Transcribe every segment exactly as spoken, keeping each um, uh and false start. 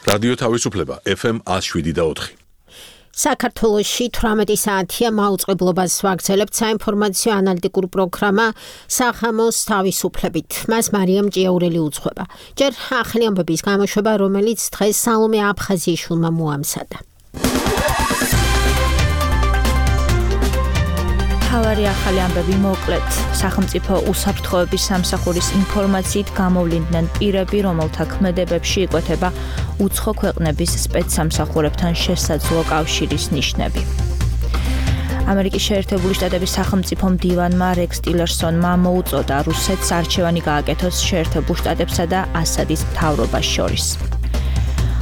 რადიო თავისუფლება ეფ ემ one oh seven point four. საქართველოში თვრამეტი საათია მაუწყებლობას ვაგრძელებთ საინფორმაციო ანალიტიკურ პროგრამა სახამოს თავისუფლებით. მას მარიამ ჭიაურელი უძღვება. ჯერ ახალი ამბების გამოშვება, რომელიც დღეს სალომე აფხაზიაშვილმა მოამზადა. თავარი ახალი ამბები მოკლედ. სახელმწიფო უსაფრთხოების სამსახურის ინფორმაციით გამოვლინდნენ პირები, რომელთა ქმედებებში იკვეთება უცხო ქვეყნების სპეცსამსახურებთან შესაძლო კავშირის ნიშნები. ამერიკის შეერთებული შტატების სახელმწიფო მდივანმა რექს ტილერსონმა მოუწოდა რუსეთს არჩევანი გააკეთოს შეერთებულ შტატებსა და ასადის მთავრობას შორის.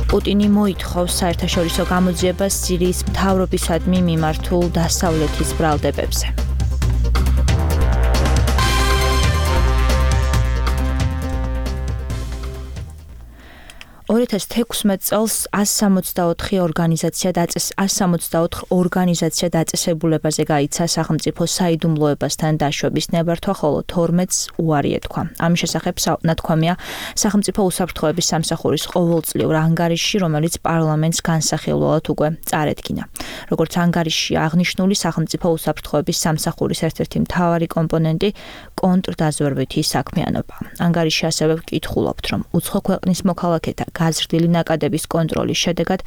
პუტინი მოითხოვს საერთაშორისო გამოძიებას სირიის მთავრობისადმი მიმართულ დასავლეთის ბრალდებებზე. ორი ათას თექვსმეტ წელს one seventy-four ორგანიზაცია დაწეს one seventy-four ორგანიზაცია დაწესებულებაზე გაიცა სახელმწიფო საიდუმლოებასთან დაშვების ნებართვა, ხოლო თორმეტს უარი ეთქვა. ამის შესახებ ნათქვამია სახელმწიფო უსაფრთხოების სამსახურის ყოველწლიურ ანგარიშში, რომელიც პარლამენტს განსახილველად უკვე წარედგინა. როგორც ანგარიშში აღნიშნული, სახელმწიფო უსაფრთხოების სამსახურის ერთ-ერთი მთავარი კომპონენტი კონტრდაზვერვითი საქმიანობა. ანგარიშში ასევე ვკითხულობთ, რომ უცხო ქვეყნის მოქალაქეთა გაზრდილი ნაკადების კონტროლის შედეგად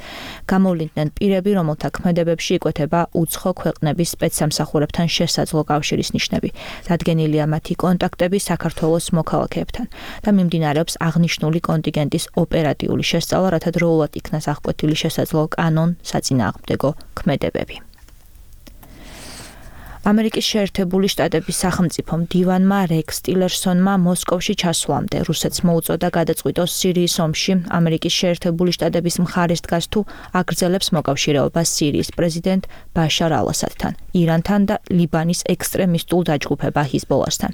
გამოვლინდნენ პირები, რომელთა ქმედებებში იკვეთება უცხო ქვეყნების სპეცსამსახურებთან შესაძლო კავშირის ნიშნები. დადგენილია მათი კონტაქტები საქართველოს მოქალაქეებთან და მიმდინარეობს აღნიშნული კონტინგენტის ოპერატიული შესწავლა, რათა დროულად იქნას აღკვეთილი შესაძლო კანონ-საწინააღმდეგო ქმედებები. ამერიკის შეერთებული შტატების სახელმწიფო მდივანმა რექს ტილერსონმა მოსკოვში ჩასვლამდე რუსეთს მოუწოდა გადაწყვიტოს სირიის ომში ამერიკის შეერთებული შტატების მხარეს დგას თუ აგრძელებს მოკავშირეობას სირიის პრეზიდენტ ბაშარ ალ-ასადთან, ირანთან და ლიბანის ექსტრემისტულ დაჯგუფება ჰიზბოლასთან.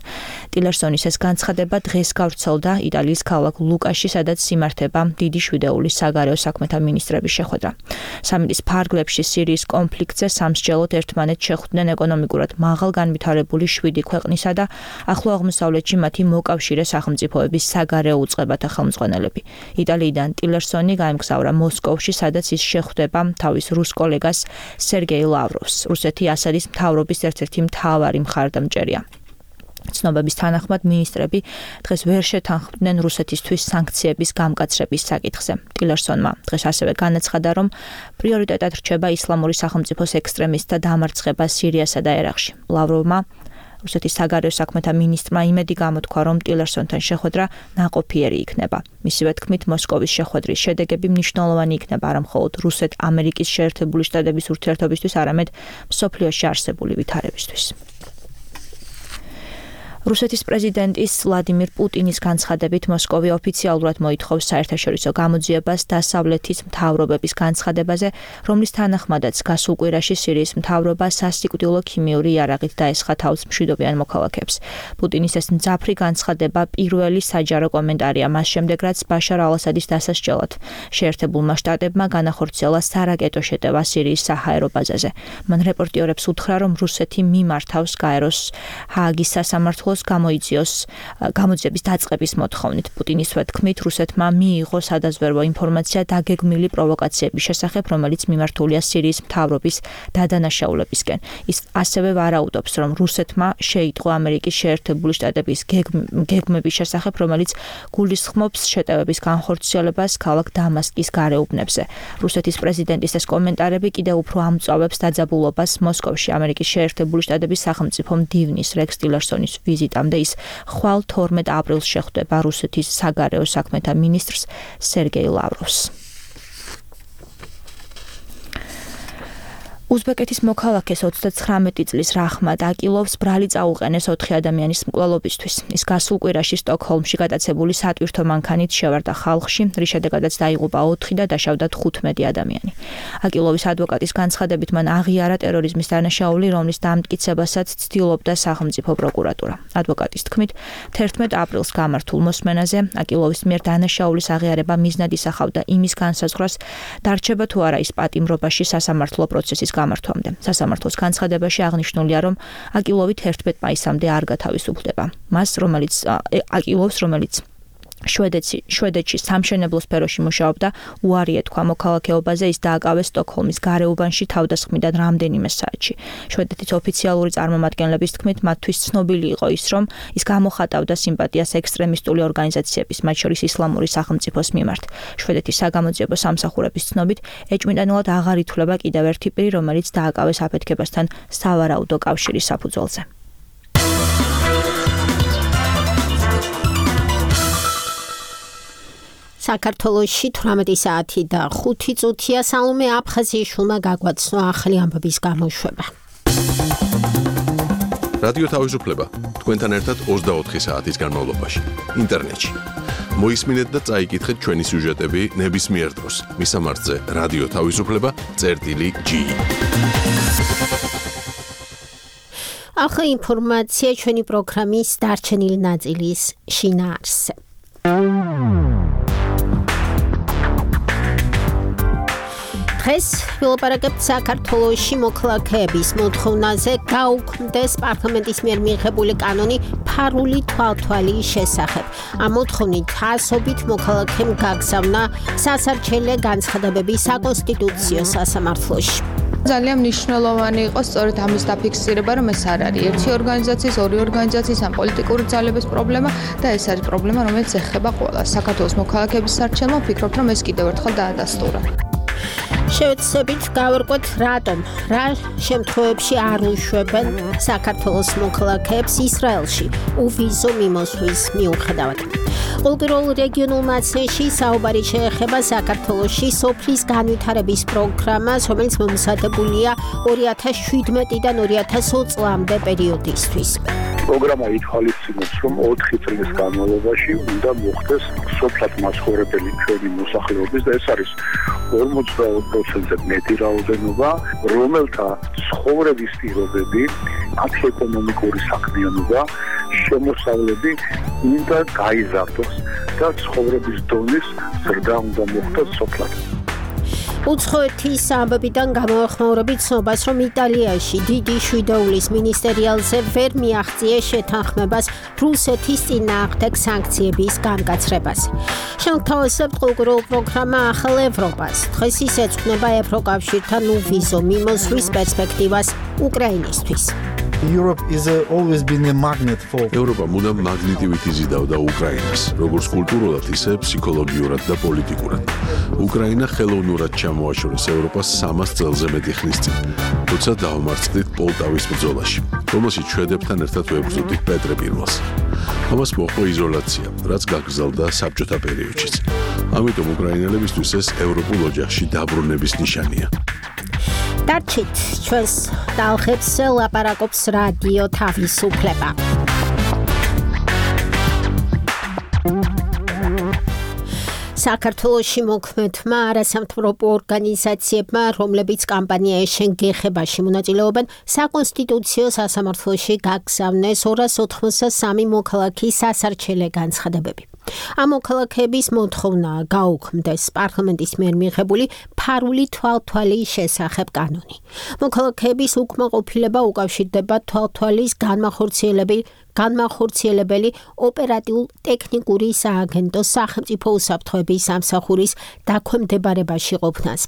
ტილერსონის ეს განცხადება დღეს გავრცელდა იტალიის ქალაქ ლუკაში, სადაც იმართება დიდი შვიდეულის საგარეო საქმეთა მინისტრების შეხვედრა. სამიტის ფარგლებში სირიის კონფლიქტზე სამსჯელოდ ერთმანეთს შეხვდნენ ეკონომიკურ მაღალ განვითარებული შვიდი ქვეყნისა და ახლო აღმოსავლეთში მათი მოკავშირე სახელმწიფოების საგარეო უწყებათა ხელმძღვანელები. იტალიიდან ტილერსონი გაემგზავრა მოსკოვში, სადაც ის შეხვდება თავის რუს კოლეგას სერგეი ლავროვს. რუსეთი ასადის მთავრობის ერთ-ერთი მთავარი მხარდამჭერია. ცნობების თანახმად მინისტრები დღეს ვერ შეთანხმდნენ რუსეთისთვის სანქციების გამკაცრების საკითხზე. ტილერსონმა დღეს ასევე განაცხადა, რომ პრიორიტეტად რჩება ისლამური სახელმწიფოს ექსტრემისტთა დამარცხება სირიასა და ერაყში. ლავროვმა რუსეთის საგარეო საქმეთა მინისტრმა იმედი გამოთქვა, რომ ტილერსონთან შეხვედრა ნაყოფიერი იქნება. მისივე თქმით, მოსკოვის შეხვედრის შედეგები მნიშვნელოვანი იქნება არა მხოლოდ რუსეთ-ამერიკის შეერთებული შტატების ურთიერთობისთვის, არამედ მსოფლიოში არსებული ვითარებისთვის. რუსეთის პრეზიდენტის ვლადიმირ პუტინის განცხადებით მოსკოვი ოფიციალურად მოითხოვს საერთაშორისო გამოძიებას დასავლეთის მთავრობების განცხადებაზე, რომლის თანახმადაც გასულ კვირაში სირიის მთავრობა სასიკვდილო ქიმიური იარაღით დაესხა თავს მშვიდობიან მოქალაქეებს. პუტინის ეს მძაფრი განცხადება პირველი საჯარო კომენტარია მას შემდეგ, რაც ბაშარ ალ-ასადის დასასჯელად შეერთებულმა შტატებმა განახორციელა სარაკეტო შეტევა სირიის საჰაერო ბაზაზე. მან რეპორტიორებს უთხრა, რომ რუსეთი მიმართავს გაეროს ჰააგის სასამართლოს გამოიძიოს გამოძიების დაწყების მოთხოვნით. პუტინის თქმით, რუსეთმა მიიღო სადაზვერვო ინფორმაცია დაგეგმილი პროვოკაციების შესახებ, რომელიც მიმართულია სირიის მთავრობის დადანაშაულებისკენ. ის ასევე ვარაუდობს, რომ რუსეთმა შეიტყო ამერიკის შეერთებული შტატების გეგმების შესახებ, რომელიც გულისხმობს შეტევების განხორციელებას ქალაქ დამასკის გარეუბნებზე. რუსეთის პრეზიდენტის ეს კომენტარები კიდევ უფრო ამწვავებს დაძაბულობას მოსკოვში ამერიკის შეერთებული შტატების სახელმწიფო მდივნის რექს ტილერსონის ვიზიტამდე. ის ხვალ თორმეტ აპრილს შეხვდება რუსეთის საგარეო საქმეთა მინისტრს სერგეი ლავროვს. უზბეკეთის მოქალაქეს ოცდაცხრამეტი წლის რაჰმად აკილოვს ბრალი წაუყენეს ოთხი ადამიანის მკვლელობისთვის. ის გასულ კვირაში სტოკჰოლმში გატაცებული სატვირთო მანქანით შევარდა ხალხში, რის შედეგადაც დაიღუპა ოთხი და დაშავდა თხუთმეტი ადამიანი. აკილოვის ადვოკატის განცხადებით მან აღიარა ტერორიზმის დანაშაული, რომლის დამტკიცებასაც ცდილობდა სახელმწიფო პროკურატურა. ადვოკატის თქმით, თერთმეტ აპრილს გამართულ მოსმენაზე აკილოვის მიერ დანაშაულის აღიარება მიზნად ისახავდა იმის განსაზღვრას, დარჩება თუ არა ის პატიმრობაში სასამართლო პროცესის გამართვამდე. სასამართლოს განცხადებაში აღნიშნულია, რომ აკილოვი თერთმეტ მაისამდე არ გათავისუფლდება. მას, რომელიც აკილოვს, რომელიც შვედეთში შვედეთში სამშენებლო სფეროში მუშაობდა, უარი ეთქვა მოქალაქეობაზე, ის დააკავეს სტოკჰოლმის გარეუბანში თავდასხმიდან რამდენიმე საათში. შვედეთის ოფიციალური წარმომადგენლების თქმით, მათთვის ცნობილი იყო ის, რომ ის გამოხატავდა სიმპათიას ექსტრემისტული ორგანიზაციების, მათ შორის ისლამური სახელმწიფოს მიმართ. შვედეთის საგამოძიებო სამსახურების ცნობით, ეჭვმიტანილად აღარ ითვლება კიდევ ერთი პირი, რომელიც დააკავეს აფეთქებასთან სავარაუდო კავშირის საფუძველზე. საქართველოში თვრამეტი საათი და ხუთი წუთია. სალომე აფხაზიაშვილმა გაგვაცნო ახალი ამბების გამოშვება. რადიო თავისუფლება თქვენთან ერთად ოცდაოთხი საათის განმავლობაში ინტერნეტში. მოისმინეთ და წაიკითხეთ ჩვენი სიუჟეტები ნებისმიერ დროს. მისამართზე რადიო თავისუფლება წერტილი ჯი. ახალი ინფორმაცია ჩვენი პროგრამის დარჩენილი ნაწილის შინაარსზე. დღეს ვილაპარაკებთ საქართველოში მოქალაქეების მოთხოვნაზე გაუქმდეს პარლამენტის მიერ მიღებული კანონი ფარული თვალთვალის შესახებ. ამ მოთხოვნით ასობით მოქალაქემ გაგზავნა სასარჩელე განცხადებები საკონსტიტუციო სასამართლოში. ძალიან მნიშვნელოვანი იყო სწორედ ამის დაფიქსირება, რომ ეს არ არის ერთი ორგანიზაციის, ორი ორგანიზაციის ან პოლიტიკური ძალების პრობლემა და ეს არის პრობლემა, რომელიც ეხება ყველას. საქართველოს მოქალაქეების სარჩელმა ვფიქრობ, რომ ეს კიდევ ერთხელ დაადასტურა. შევეცდებით გავარკვეთ, რატომ რა შემთხვევებში არ უშვებენ საქართველოს მოქალაქეებს ისრაელში უვიზო მიმოსვლის მიუხედავად. ყოველდღიურ რეგიონულ მაცნეში საუბარი შეეხება საქართველოში სოფლის განვითარების პროგრამას, რომელიც მომზადებულია ორი ათას შვიდმეტიდან ორი ათას ოცი წლამდე პერიოდისთვის. პროგრამა ითვალისწინებს, რომ ოთხი წლის განმავლობაში უნდა მოხდეს სოფლად მაცხოვრებელი ჩვენი მოსახლეობის და ეს არის ორმოცდაოთხ პროცენტზე მეტი რაოდენობა, რომელთა ცხოვრების პირობები, მათი ეკონომიკური საქმიანობა, შემოსავლები უნდა გაიზარდოს და ცხოვრების დონის ზრდა უნდა მოხდეს სოფლად. უცხოეთის ამბებიდან გამოახმაურებით ცნობას, რომ იტალიაში დიდი შვიდეულის მინისტერიალზე ვერ მიაღწიეს შეთანხმებას რუსეთის წინააღმდეგ სანქციების განკაცრებას. შემოგთავაზებთ ყოველდღიურ პროგრამა ახალ ევროპას. დღეს ის ეძღვნება ევროკავშირთან უვიზო მიმოსვლის პერსპექტივას უკრაინისთვის. Europe is uh, always been a magnet for ევროპა მუდამ მაგნიტივით იზიდავდა უკრაინას, როგორც კულტურულად, ისე ფსიქოლოგიურად და პოლიტიკურად. უკრაინა ხელოვნურად ჩამოაშორეს ევროპას სამას წელზე მეტი ხნის წინ, თუმცა დაამარცხდით პოლტავის ბრძოლაში, რომელშიც შვედებთან ერთად ვებრძოდით პეტრე პირველს. ამას მოჰყვა იზოლაცია, რაც გაგრძელდა საბჭოთა პერიოდშიც. ამიტომ უკრაინელებისთვის ეს ევროპულ ოჯახში დაბრუნების ნიშანია. დარჩით ჩვენს ტალღებს ლაპარაკობს რადიო თავისუფლება. საქართველოში მოქმედმა არასამთავრობო ორგანიზაციებმა, რომლებიც კამპანია ეშენ გეხებაში მონაწილეობენ, საკონსტიტუციო სასამართლოში გაგზავნეს ორას ოთხმოცდასამი მოქალაქის სასარჩელე განცხადებები. ამ მოქალაქეების მოთხოვნაა გაუქმდეს პარლამენტის მიერ მიღებული ფარული თვალთვალის შესახებ კანონი. მოქალაქეების უკმაყოფილება უკავშირდება თვალთვალის განმახორციელებელი განმახორციელებელი ოპერატიულ-ტექნიკური სააგენტოს სახელმწიფო უსაფრთხოების სამსახურის დაქვემდებარებაში ყოფნას.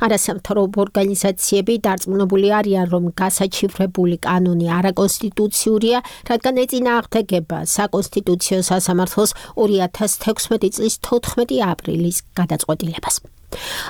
არასამთავრობო ორგანიზაციები დარწმუნებული არიან, რომ გასაჩივრებული კანონი არაკონსტიტუციურია, რადგან ეწინააღმდეგება საკონსტიტუციო სასამართლოს ორი ათას თექვსმეტი წლის თოთხმეტი აპრილის გადაწყვეტილებას.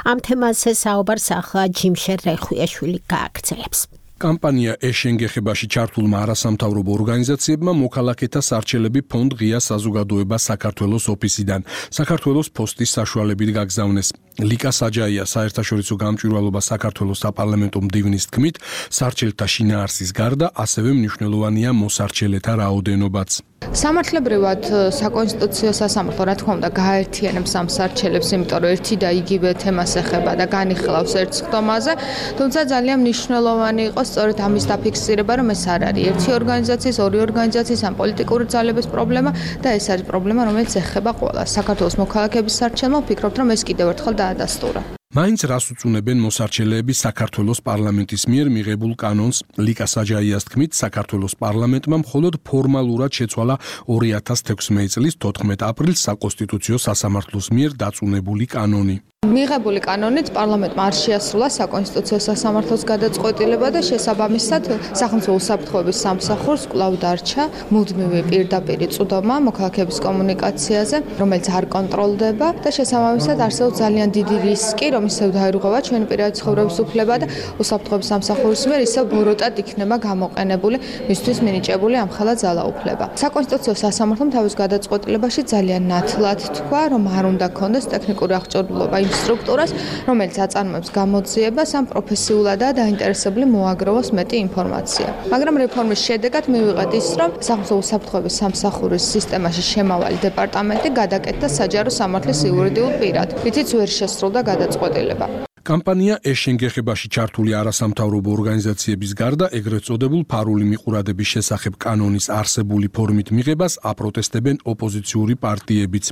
ამ თემაზე საუბარს ახლა ჯიმშერ რეხვიაშვილი გააგრძელებს. კამპანია ეშენ გეხებაში ჩართულმა არასამთავრობო ორგანიზაციებმა მოქალაქეთა სარჩელები ფონდ ღია საზოგადოება საქართველოს ოფისიდან საქართველოს პოსტის საშუალებით გაგზავნეს. ლიკა საჯაია საერთაშორისო გამჭვირვალობა საქართველოს საპარლამენტო მდივნის თქმით, სარჩელთა შინაარსის გარდა ასევე მნიშვნელოვანია მოსარჩელეთა რაოდენობაც. სამართლებრივად საკონსტიტუციო სასამართლო რა თქმა უნდა გააერთიანებს ამ სარჩელებს, იმიტომ რომ ერთი და იგივე თემას ეხება და განიხილავს ერთ სხდომაზე, თუმცა ძალიან მნიშვნელოვანი იყო სწორედ ამის დაფიქსირება, რომ ეს არ არის ერთი ორგანიზაციის, ორი ორგანიზაციის ან პოლიტიკური ძალების პრობლემა და ეს არის პრობლემა, რომელიც ეხება ყველას. საქართველოს მოქალაქეების სარჩელმა ვფიქრობთ, რომ ეს კიდევ ერთხელ დაადასტურა. მაინც რას უწუნებენ მოსარჩელეები საქართველოს პარლამენტის მიერ მიღებულ კანონს? ლიკა საჯაიას თქმით, საქართველოს პარლამენტმა მხოლოდ ფორმალურად შეცვალა ორი ათას თექვსმეტი წლის თოთხმეტ აპრილს საკონსტიტუციო სასამართლოს მიერ დაწუნებული კანონი. მიღებული კანონით პარლამენტმა არ შეასრულა საკონსტიტუციო სასამართლოს გადაწყვეტილება და შესაბამისად სახელმწიფო უსაფრთხოების სამსახურს კვლავ დარჩა მუდმივი პირდაპირი წვდომა მოქალაქეების კომუნიკაციაზე, რომელიც არ კონტროლდება და შესაბამისად არსებობს ძალიან დიდი რისკი, რომ ისევ დაერღვევა ჩვენი პირადი ცხოვრების უფლება და უსაფრთხოების სამსახურის მიერ ისევ ბოროტად იქნება გამოყენებული მისთვის მინიჭებული ამხელა ძალაუფლება. საკონსტიტუციო სასამართლომ თავის გადაწყვეტილებაში ძალიან ნათლად თქვა, რომ არ უნდა ქონდეს ტექნიკური აღჭურვილობა იმ სტრუქტურას, რომელიც აწარმოებს გამოძიებას ამ პროფესიულადაა დაინტერესებული მოაგროვოს მეტი ინფორმაცია. მაგრამ რეფორმის შედეგად მივიღეთ ის, რომ სახელმწიფო უსაფრთხოების სამსახურის სისტემაში შემავალი დეპარტამენტი გადაკეთდა საჯარო სამართლის იურიდიულ პირად, რითიც ვერ შესრულდა გადაწყვეტილება. კამპანია ეშენგეხებაში ჩართული არასამთავრობო ორგანიზაციების გარდა ეგრეთ წოდებულ ფარული მიყურადების შესახებ კანონის არსებული ფორმით მიღებას აპროტესტებენ ოპოზიციური პარტიებიც.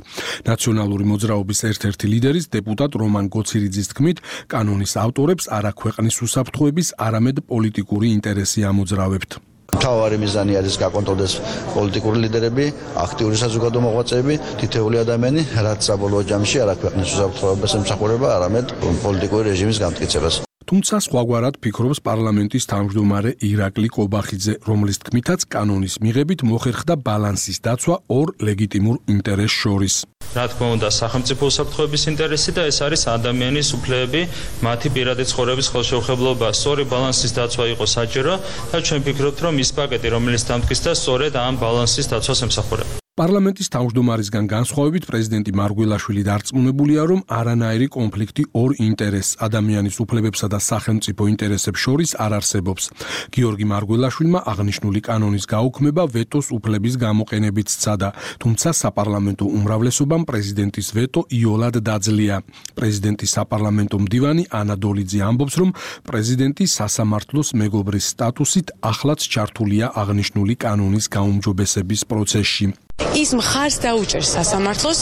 ნაციონალური მოძრაობის ერთ-ერთი ლიდერის დეპუტატ რომან გოცირიძის თქმით, კანონის ავტორებს არა ქვეყნის უსაფრთხოების, არამედ პოლიტიკური ინტერესი ამოძრავებთ. მთავარი მიზანი არის გაკონტროლდეს პოლიტიკური ლიდერები, აქტიური საზოგადო მოღვაწეები, თითოეული ადამიანი, რაც საბოლოო ჯამში არა ქვეყნის უსაფრთხოებას ემსახურება, არამედ პოლიტიკური რეჟიმის განმტკიცებას. თუმცა სხვაგვარად ფიქრობს პარლამენტის თავმჯდომარე ირაკლი კობახიძე, რომლის თქმითაც კანონის მიღებით მოხერხდა ბალანსის დაცვა ორ ლეგიტიმურ ინტერესს შორის. რა თქმა უნდა, სახელმწიფო უსაფრთხოების ინტერესი და ეს არის ადამიანის უფლებები, მათი პირადი ცხოვრების ხელშეუხებლობა. სწორი ბალანსის დაცვა იყო საჭირო და ჩვენ ვფიქრობთ, რომ ის პაკეტი, რომელიც დამტკიცდა, სწორედ ამ ბალანსის დაცვას ემსახურება. პარლამენტის თავმჯდომარისგან განსხვავებით პრეზიდენტი მარგველაშვილი დარწმუნებულია, რომ არანაირი კონფლიქტი ორ ინტერესს, ადამიანის უფლებებსა და სახელმწიფო ინტერესებს შორის არ არსებობს. გიორგი მარგველაშვილმა აღნიშნული კანონის გაუქმება ვეტოს უფლების გამოყენებით სცადა, თუმცა საპარლამენტო უმრავლესობამ პრეზიდენტის ვეტო იოლად დაძლია. პრეზიდენტის საპარლამენტო მდივანი ანა დოლიძე ამბობს, რომ პრეზიდენტი სასამართლოს მეგობრის სტატუსით ახლაც ჩართულია აღნიშნული კანონის გაუმჯობესების პროცესში. ის მხარს დაუჭერს სასამართლოს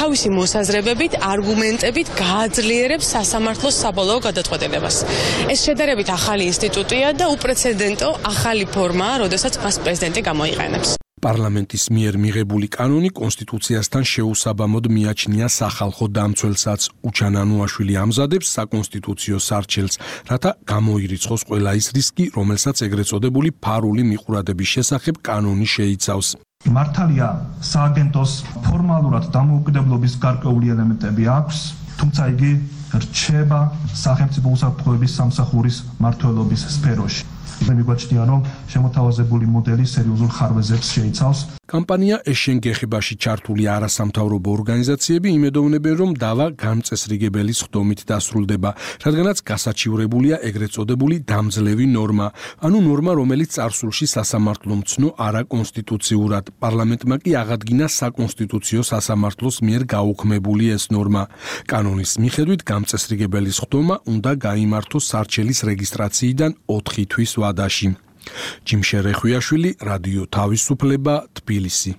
თავისი მოსაზრებებით, არგუმენტებით გააძლიერებს სასამართლოს საბოლოო გადაწყვეტილებას. ეს შედარებით ახალი ინსტიტუტია და უპრეცედენტო ახალი ფორმაა, როდესაც მას პრეზიდენტი გამოიყენებს. პარლამენტის მიერ მიღებული კანონი კონსტიტუციასთან შეუსაბამოდ მიაჩნია სახალხო დამცველსაც. უჩან ანუაშვილი ამზადებს საკონსტიტუციო სარჩელს, რათა გამოირიცხოს ყველა ის რისკი, რომელსაც ეგრეთ წოდებული ფარული მიყურადების შესახებ კანონი შეიცავს. მართალია, სააგენტოს ფორმალურად დამოუკიდებლობის გარკვეული ელემენტები აქვს, თუმცა იგი რჩება სახელმწიფო უსაფრთხოების სამსახურის მმართველობის სფეროში. მე მიგვაჩნია, რომ შემოთავაზებული მოდელი სერიოზულ ხარვეზებს შეიცავს. კამპანია ეშენგეხებაში ჩართული არასამთავრობო ორგანიზაციები იმედოვნებენ, რომ დავა განწესრიგებელი სხდომით დასრულდება, რადგანაც გასაჩივრებულია ეგრეთ წოდებული დამძლევი ნორმა, ანუ ნორმა, რომელიც წარსულში სასამართლომ ცნო არაკონსტიტუციურად. პარლამენტმა კი აღადგინა საკონსტიტუციო სასამართლოს მიერ გაუქმებული ეს ნორმა. კანონის მიხედვით განწესრიგებელი სხდომა უნდა გაიმართოს სარჩელის რეგისტრაციიდან ოთხი თვის ვადაში. ჯიმშე რეხვიაშვილი, რადიო თავისუფლება, თბილისი.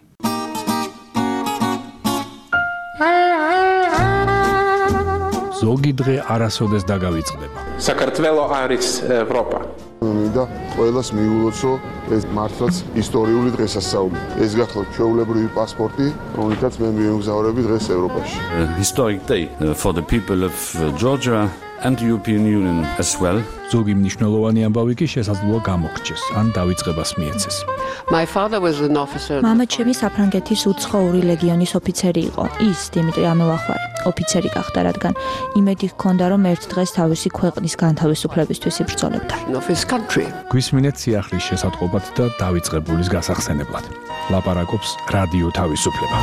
ზოგი დღე არასოდეს დაგავიწყდება. საქართველო არის ევროპა. მინდა ყველას მიულოცო ეს მართლაც ისტორიული დღესასწაული. ეს გახლავთ ჩვეულებრივი პასპორტი, რომელთაც მე მივემგზავრები დღეს ევროპაში. Historic day for the people of Georgia and the European Union as well. ზოგი მნიშვნელოვანი ამბავი კი შესაძლოა გამოგრჩეს, ან დავიწყებას მიეცეს. My father was an officer. მამა ჩემი საფრანგეთის უცხოური ლეგიონის ოფიცერი იყო. ის დიმიტრი ამელახვარი ოფიცერი გახდა, რადგან იმედი ჰქონდა, რომ ერთ დღეს თავისი ქვეყნის განთავისუფლებისთვის იბრძოლებდა. გვისმინეთ სიახლის შესატყობად და დავიწყებულის გასახსენებლად. ლაპარაკობს რადიო თავისუფლება.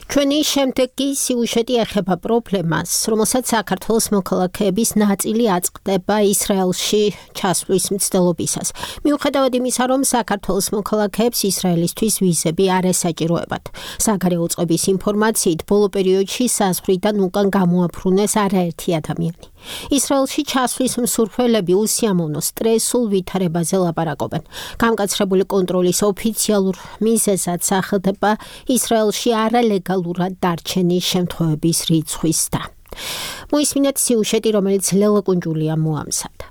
ჩვენი შემდეგი სიუჟეტი ეხება პრობლემას, რომელსაც საქართველოს მოქალაქეების ნაწილი აწყდება ისრაელში ჩასვლის მცდელობისას. მიუხედავად იმისა, რომ საქართველოს მოქალაქეებს ისრაელისთვის ვიზები არ ესაჭიროებათ. საგარეო წყობის ინფორმაციით, ბოლო პერიოდში საზღვრიდან უკან გამოაფრუნეს არაერთი ადამიანი. ისრაელში ჩასვლის მსურველები უსიამოვნო სტრესულ ვითარებაზე ლაპარაკობენ. გამკაცრებული კონტროლის ოფიციალურ მიზეზად სახელდება ისრაელში არალეგალურად დარჩენის შემთხვევების რიცხვის და. მოისმინეთ სიუჟეტი, რომელიც ლელა კუნჯულია მოამზადა.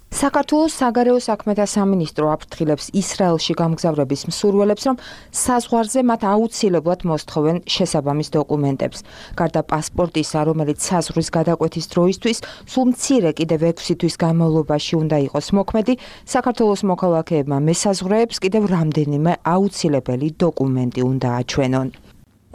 საქართველოს საგარეო საქმეთა სამინისტრო აფრთხილებს ისრაელში გამგზავრების მსურველებს, რომ საზღვარზე მათ აუცილებლად მოსთხოვენ შესაბამის დოკუმენტებს. გარდა პასპორტისა, რომელიც საზღვრის გადაკვეთის დროისთვის სულ მცირე კიდევ ექვსი თვის განმავლობაში უნდა იყოს მოქმედი, საქართველოს მოქალაქეებმა მესაზღვრეებს კიდევ რამდენიმე აუცილებელი დოკუმენტი უნდა აჩვენონ.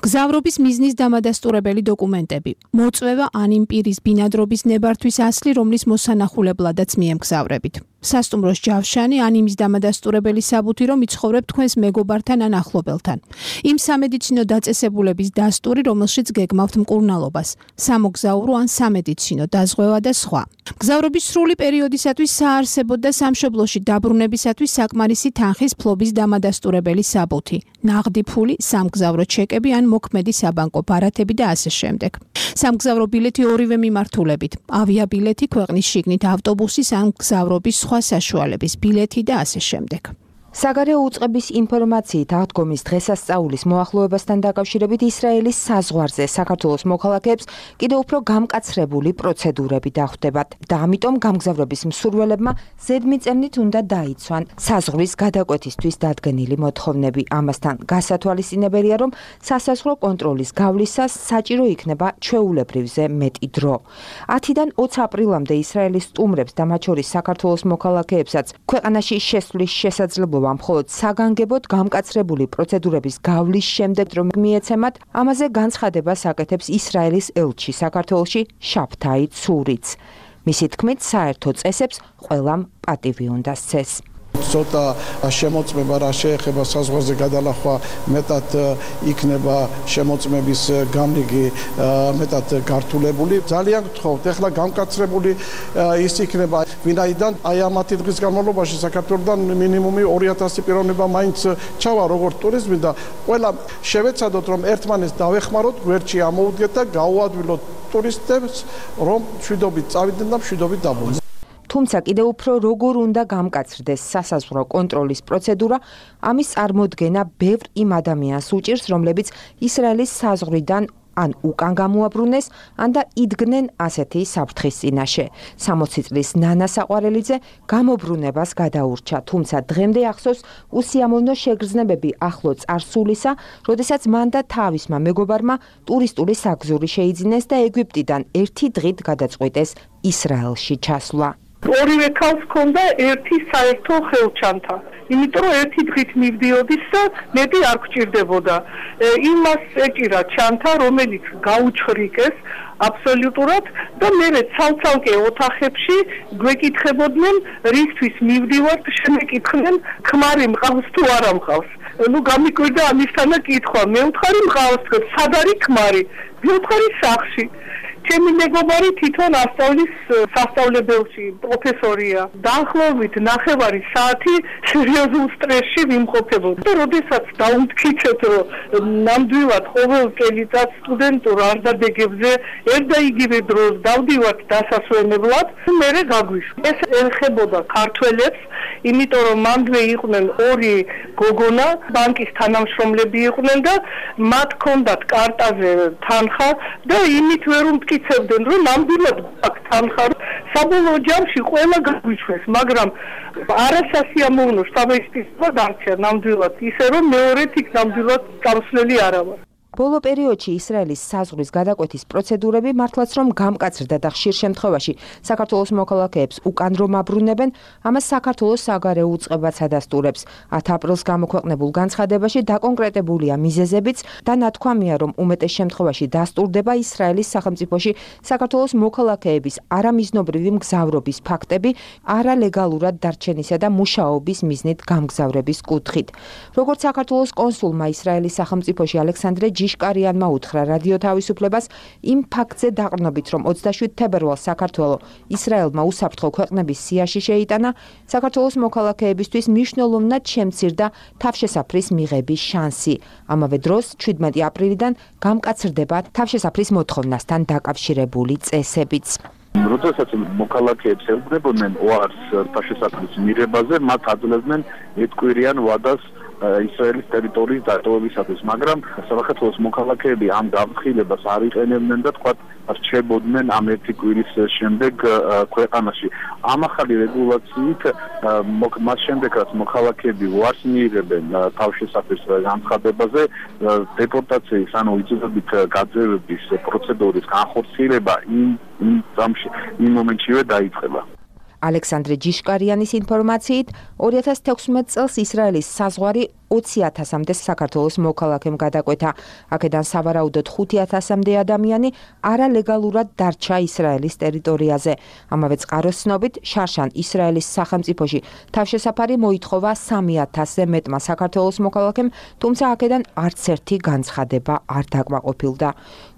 გზავრობის მიზნის დამადასტურებელი დოკუმენტები, მოწვევა ან იმ პირის ბინადრობის ნებართვის ასლი, რომლის მოსანახულებლადაც მიემგზავრებით. სასტუმროს ჯავშანი ან იმის დამადასტურებელი საბუთი, რომ იცხოვრებ თქვენს მეგობართან ან ახლობელთან. იმ სამედიცინო დაწესებულების დასტური, რომელშიც გეგმავთ მკურნალობას, სამოგზაურო ან სამედიცინო დაზღვევა და სხვა. გზავრობის სრული პერიოდისათვის საარსებოდ და სამშობლოში დაბრუნებისათვის საკმარისი თანხის ფლობის დამადასტურებელი საბუთი, ნაღდი ფული, სამგზავრო ჩეკები ან მოქმედი საბანკო ბარათები და ასე შემდეგ. სამგზავრო ბილეთი ორივე მიმართულებით, ავიაბილეთი, ქვეყნის შიგნით ავტობუსის ან გზავრობის სხვა საშუალების ბილეთი და ასე შემდეგ. საგარეო უწყების ინფორმაციით აღდგომის დღესასწაულის მოახლოებასთან დაკავშირებით ისრაელის საზღვარზე საქართველოს მოქალაქეებს კიდევ უფრო გამკაცრებული პროცედურები დახვდებათ და ამიტომ გამგზავრების მსურველებმა ზედმიწევნით უნდა დაიცვან საზღვრის გადაკვეთისთვის დადგენილი მოთხოვნები. ამასთან გასათვალისწინებელია, რომ სასაზღვრო კონტროლის გავლისას საჭირო იქნება ჩვეულებრივზე მეტი დრო. ათიდან ოცი აპრილამდე ისრაელის სტუმრებს და მათ შორის საქართველოს მოქალაქეებსაც ქვეყანაში შესვლის შესაძლებლობა მხოლოდ საგანგებოდ გამკაცრებული პროცედურების გავლის შემდეგ რომ მიეცემათ, ამაზე განცხადებას აკეთებს ისრაელის ელჩი საქართველოში შაფთაი ცურიც. მისი თქმით, საერთო წესებს ყველამ პატივი უნდა სცეს. ცოტა შემოწმება რა შეეხება საზღვარზე გადალახვა მეტად იქნება შემოწმების გამრიგი მეტად გართულებული. ძალიან გთხოვთ, ეხლა გამკაცრებული ის იქნება, ვინაიდან აი ამათი დღის განმავლობაში საქართველოსთან მინიმუმი ორი ათასი პიროვნება მაინც ჩავა როგორც ტურიზმი და ყველა შევეცადოთ, რომ ერთმანეთს დავეხმაროთ, გვერდში ამოუდგეთ და გაუადვილოთ ტურისტებს, რომ მშვიდობით წავიდნენ და მშვიდობით დაბრუნდნენ. თუმცა კიდევ უფრო როგორ უნდა გამკაცრდეს სასაზღვრო კონტროლის პროცედურა, ამის წარმოდგენა ბევრ იმ ადამიანს უჭირს, რომლებიც ისრაელის საზღვრიდან ან უკან გამოაბრუნეს, ან და იდგნენ ასეთი საფრთხის წინაშე. სამოცი წლის ნანა საყვარელიძე გამობრუნებას გადაურჩა, თუმცა დღემდე ახსოვს უსიამოვნო შეგრძნებები ახლო წარსულისა, როდესაც მან და თავისმა მეგობარმა ტურისტული საგზური შეიძინეს და ეგვიპტიდან ერთი დღით გადაწყვიტეს ისრაელში ჩასვლა. ორივე ქალს ჰქონდა ერთი საერთო ხელჩანთა. იმიტომ რომ ერთი დღით მივდიოდის და მეტი არ გჭირდებოდა. იმას ეჭირა ჩანთა, რომელიც გაუჩხრიკეს აბსოლუტურად და მე ცალ-ცალკე ოთახებში გვეკითხებოდნენ, რისთვის მივდივართ, შემეკითხნენ, ქმარი მყავს თუ არა მყავს. ნუ გამიკვირდა ამისთანა კითხვა. მე ვთხარი მყავს, სად არის ქმარი? ვიხარი სახლში. ჩემი მეგობარი თვითონ ასწავლის სასწავლებელში, პროფესორია. დაახლოებით ნახევარი საათი სერიოზულ სტრესში ვიმყოფებოდი. და როდესაც დაუმტკიცეთ, რომ ნამდვილად ყოველ წელიწად სტუდენტურ არდადეგებზე ერთ და იგივე დროს დავდივართ დასასვენებლად, მერე გაგვიშვა. ეს ეხებოდა ქართველებს, იმიტომ რომ მანდვე იყვნენ ორი გოგონა, ბანკის თანამშრომლები იყვნენ და მათ ჰქონდათ კარტაზე თანხა და იმით ვერ უმტკიცებდნენ, რომ ნამდვილად აქვს თანხა. საბოლოო ჯამში ყველა გაგვიშვეს, მაგრამ არასასიამოვნო შთაბეჭდილება დარჩა ნამდვილად, ისე რომ მეორედ იქ ნამდვილად გამსვლელი არა ვარ. ბოლო პერიოდში ისრაელის საზღვრის გადაკვეთის პროცედურები მართლაც რომ გამკაცრდა და ხშირ შემთხვევაში საქართველოს მოქალაქეებს უკან რომ აბრუნებენ, ამას საქართველოს საგარეო უწყებაც ადასტურებს. ათი აპრილს გამოქვეყნებულ განცხადებაში დაკონკრეტებულია მიზეზებიც და ნათქვამია, რომ უმეტეს შემთხვევაში დასტურდება ისრაელის სახელმწიფოში საქართველოს მოქალაქეების არამიზნობრივი მგზავრობის ფაქტები არალეგალურად დარჩენისა და მუშაობის მიზნით გამგზავრების კუთხით. როგორც საქართველოს კონსულმა ისრაელის სახელმწიფოში ალექსანდრე ჯიშკარიანმა უთხრა რადიო თავისუფლებას, იმ ფაქტზე დაყრდნობით, რომ ოცდაშვიდ თებერვალს საქართველო ისრაელმა უსაფრთხო ქვეყნების სიაში შეიტანა, საქართველოს მოქალაქეებისთვის მნიშვნელოვნად შემცირდა თავშესაფრის მიღების შანსი. ამავე დროს ჩვიდმეტი აპრილიდან გამკაცრდება თავშესაფრის მოთხოვნასთან დაკავშირებული წესებიც. როდესაც მოქალაქეებს ელოდებოდნენ ოარს ფაშისტების მიღებაზე, მათ აძლევდნენ ეთკვირიან ვადას ისრაელის ტერიტორიის დატოვებისათვის, მაგრამ საქართველოს მოქალაქეები ამ გამხილებას არ იყენებდნენ და თქვათ რჩებოდნენ ამ ერთი კვირის შემდეგ ქვეყანაში. ამ ახალი რეგულაციით მას შემდეგ რაც მოქალაქეები უარს მიიღებენ თავშესაფრის განცხადებაზე, დეპორტაციის ანუ იწოდებით გაძევების პროცედურის განხორციელება იმ იმ მომენტშივე დაიწყება. ალექსანდრე ჯიშკარიანის ინფორმაციით, ორი ათას თექვსმეტ წელს ისრაელის საზღვარი ოცი ათასამდე საქართველოს მოქალაქემ გადაკვეთა. აქედან სავარაუდოდ ხუთი ათასამდე ადამიანი არალეგალურად დარჩა ისრაელის ტერიტორიაზე. ამავე წყაროს ცნობით, შარშან ისრაელის სახელმწიფოში თავშესაფარი მოითხოვა სამი ათასზე მეტმა საქართველოს მოქალაქემ, თუმცა აქედან არც ერთი განცხადება არ დაკმაყოფილდა.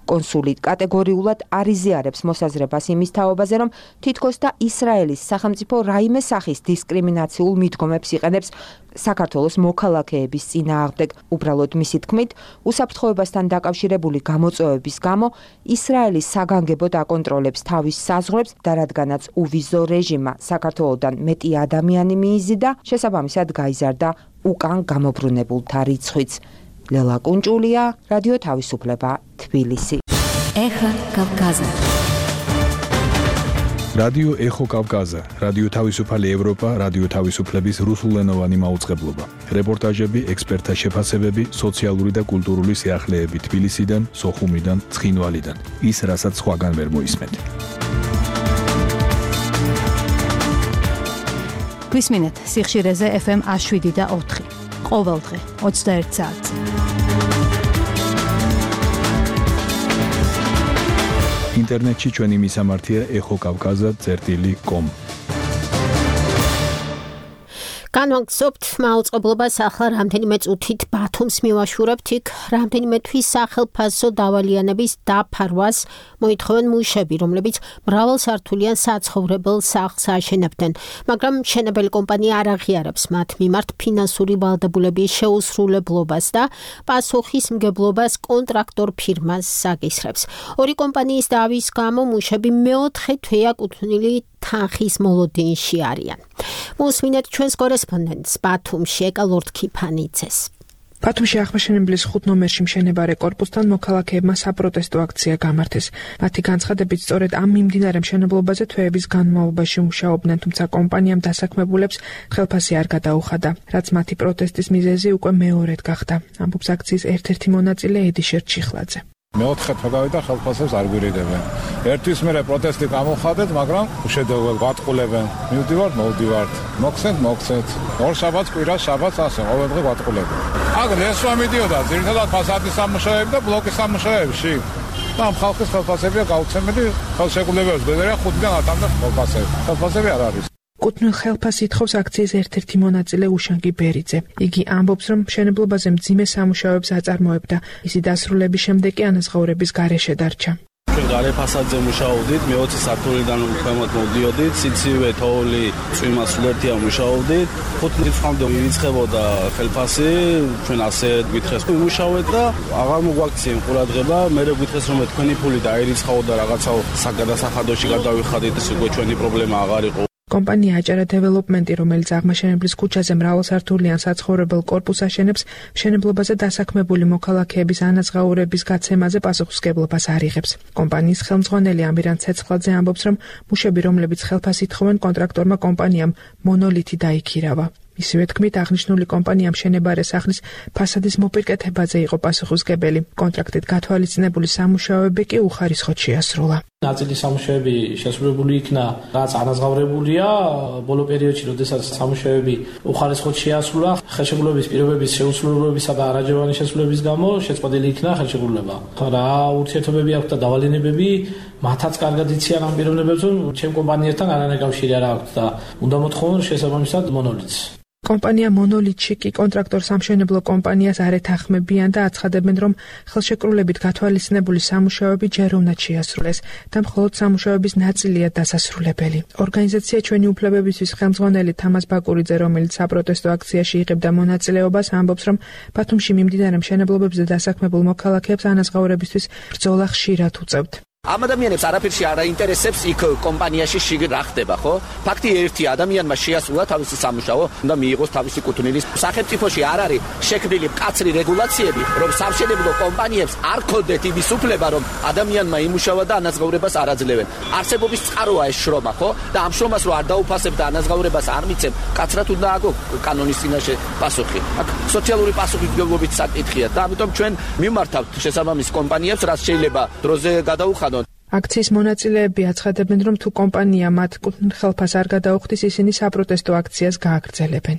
კონსული კატეგორიულად არ იზიარებს მოსაზრებას იმის თაობაზე, რომ თითქოს და ისრაელის სახელმწიფო რაიმე სახის დისკრიმინაციულ მიდგომებს იყენებს საქართველოს მოქალაქეების წინააღმდეგ. უბრალოდ მისი თქმით, უსაფრთხოებასთან დაკავშირებული გამოწვევების გამო ისრაელის საგანგებოდ აკონტროლებს თავის საზღვრებს და რადგანაც უვიზო რეჟიმა საქართველოდან მეტი ადამიანი მიიზიდა, შესაბამისად გაიზარდა უკან გამობრუნებულთა რიცხვიც. ლელა კუნჭულია, რადიო თავისუფლება, თბილისი. ეხა კავკაზა. რადიო ეხო კავკაზა, რადიო თავისუფალი ევროპა, რადიო თავისუფლების რუსულენოვანი მაუწყებლობა. რეპორტაჟები, ექსპერტთა შეფასებები, სოციალური და კულტურული სიახლეები თბილისიდან, სოხუმიდან, ცხინვალიდან. ის, რასაც სხვაგან ვერ მოისმენთ. გვისმინეთ სიხშირეზე ეფ ემ ათს შვიდი და ოთხი. ყოველდღე ოცდაერთ საათზე. ინტერნეტში ჩვენი მისამართია ეხო კავკაზა წერტილი კომ. განვაგრძობთ მაუწყებლობას ახლა რამდენიმე წუთით ბათუმს მივაშურებთ, იქ რამდენიმე თვის სახელფასო დავალიანების დაფარვას მოითხოვენ მუშები, რომლებიც მრავალსართულიან საცხოვრებელ სახლს აშენებდნენ, მაგრამ მშენებელი კომპანია არ აღიარებს მათ მიმართ ფინანსური ვალდებულების შეუსრულებლობას და პასუხისმგებლობას კონტრაქტორ ფირმას აგისრებს. ორი კომპანიის დავის გამო მუშები მეოთხე თვეა კუთვნილი თანხის მოლოდინში არიან. მოსმინეთ ჩვენს კორესპონდენტს ბათუმში ეკალორდ ქიფანიძეს. ბათუმში აღმაშენებლის ხუთ ნომერში მშენებარე კორპუსთან მოქალაქეებმა საპროტესტო აქცია გამართეს. მათი განცხადებით, სწორედ ამ მიმდინარე მშენებლობაზე თვეების განმავლობაში მუშაობდნენ, თუმცა კომპანიამ დასაქმებულებს ხელფასი არ გადაუხადა, რაც მათი პროტესტის მიზეზი უკვე მეორედ გახდა. ამბობს აქციის ერთ-ერთი მონაწილე ედიშერ ჩიხლაძე. მეოთხე თვე გავიდა ხელფასებს არ გვირიდებენ. ერთვის მერე პროტესტი გამოვხადეთ, მაგრამ უშედეგოდ გვატყულებენ. მივდივართ, მოვდივართ. მოგცეთ, მოგცეთ. ორ შაბათს, კვირას შაბათს ასე, ყოველდღე გვატყულებენ. აქ ლესვა მიდიოდა ძირითადად ფასადის სამუშაოები და ბლოკის სამუშაოებში. და ამ ხალხის ხელფასებია გაუცემელი, ხელშეკრულებებს გვერდია ხუთიდან ათამდე ხელფასები. ხელფასები არ არის. კუთვნილ ხელფასს ითხოვს აქციის ერთ-ერთი მონაწილე უშანგი ბერიძე. იგი ამბობს, რომ მშენებლობაზე მძიმე სამუშაოებს აწარმოებდა. ისი დასრულების შემდეგ კი ანაზღაურების გარეშე დარჩა. ჩვენ გარე ფასადზე მუშაობდით, მეოცე სართულიდან ქვემოთ მოვდიოდით, სიცივე, თოვლი, წვიმა სულერთია მუშაობდით. ხუთი რიცხვამდე მივიწყებოდა ხელფასი, ჩვენ ასე გითხეს, ვიმუშავეთ და აღარ მოგვაქციენ ყურადღება, მერე გითხეს რომ თქვენი ფული დაირიცხაო და რაღაცაო საგადასახადოში გადავიხადეთ, ეს უკვე ჩვენი პრობლემა აღარ იყო. კომპანია აჭარა დეველოპმენტი, რომელიც აღმაშენებლის ქუჩაზე მრავალსართულიან საცხოვრებელ კორპუსს აშენებს, მშენებლობაზე დასაქმებული მოქალაქეების ანაზღაურების გაცემაზე პასუხისმგებლობას არ იღებს. კომპანიის ხელმძღვანელი ამირან ცეცხლაძე ამბობს, რომ მუშები, რომლებიც ხელფასს ითხოვენ, კონტრაქტორმა კომპანიამ მონოლითი დაიქირავა. ისევე თქმით, აღნიშნული კომპანია მშენებარე სახლის ფასადის მოპირკეთებაზე იყო პასუხისმგებელი. კონტრაქტით გათვალისწინებული სამუშაოები კი უხარისხოდ შეასრულა. ნაწილი სამუშაოები შესრულებული იქნა, რაც ანაზღაურებულია ბოლო პერიოდში, როდესაც სამუშაოები უხარისხოდ შეასრულა, ხელშეკრულების პირობების შეუსრულებლობისა და არაჯეროვანი შესრულების გამო შეწყვეტილი იქნა ხელშეკრულება. რა ურთიერთობები აქვს და დავალენებები, მათაც კარგად იციან ამ პიროვნებებს, რომ ჩემ კომპანიასთან არანაირი კავშირი არ აქვს და უნდა მოთხოვონ შესაბამისად მონოლითს. კომპანია მონოლითში კი კონტრაქტორ სამშენებლო კომპანიას არ ეთანხმებიან და აცხადებენ, რომ ხელშეკრულებით გათვალისწინებული სამუშაოები ჯერ უნდა შეასრულეს და მხოლოდ სამუშაოების ნაწილია დასასრულებელი. ორგანიზაცია ჩვენი უფლებებისთვის ხელმძღვანელი თამაზ ბაკურიძე, რომელიც საპროტესტო აქციაში იღებდა მონაწილეობას, ამბობს, რომ ბათუმში მიმდინარე მშენებლობებზე დასაქმებულ მოქალაქეებს ანაზღაურებისთვის ბრძოლა ხშირად უწევთ. ამ ადამიანებს არაფერში არ აინტერესებს იქ კომპანიაში შიგ რა ხდება, ხო? ფაქტი ერთი ადამიანმა შეასრულა თავისი სამუშაო, უნდა მიიღოს თავისი კუთვნილი. სახელმწიფოში არ არის შექმნილი მკაცრი რეგულაციები, რომ სამშენებლო კომპანიებს არ ქონდეთ იმის უფლება, რომ ადამიანმა იმუშავა და ანაზღაურებას არ აძლევენ. არსებობის წყაროა ეს შრომა, ხო? და ამ შრომას რო არ დაუფასებ და ანაზღაურებას არ მიცემ, კაცრად უნდა აგო კანონის წინაშე პასუხი. აქ სოციალური პასუხისმგებლობით საკითხია და ამიტომ ჩვენ მიმართავთ შესაბამის კომპანიებს, რაც შეიძლება დროზე გადაუხადონ. აქციის მონაწილეები აცხადებენ, რომ თუ კომპანია მათ კუთვნილ-ხელფას არ გადაუხდის, ისინი საპროტესტო აქციას გააგრძელებენ.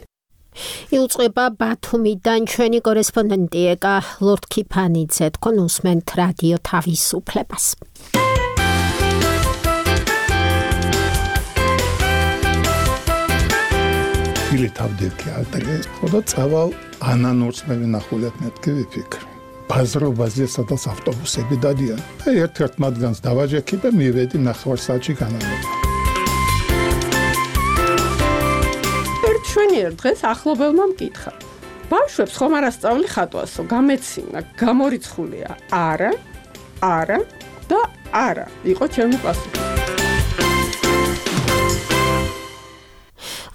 იუწყება ბათუმიდან ჩვენი კორესპონდენტი ეკა ლორდ-ქიფანიძე, თქვენ უსმენთ რადიო თავისუფლებას. Ili თავდექი ალტერეს, ხოდა წავალ ანანურს მე ვინახულებ მეთქი ვიფიქრე. ბაზრობაზე სადაც ავტობუსები დადიან. და ერთ-ერთ მათგანს დავაჯექი და მივედი ნახევარ საათში განავრება. ერთ შვენიერ დღეს ახლობელმა მკითხა. ბავშვებს ხომ არ ასწავლი ხატვასო, გამეცინა, გამორიცხულია. არა, არა და არა. იყო ჩემი პასუხი.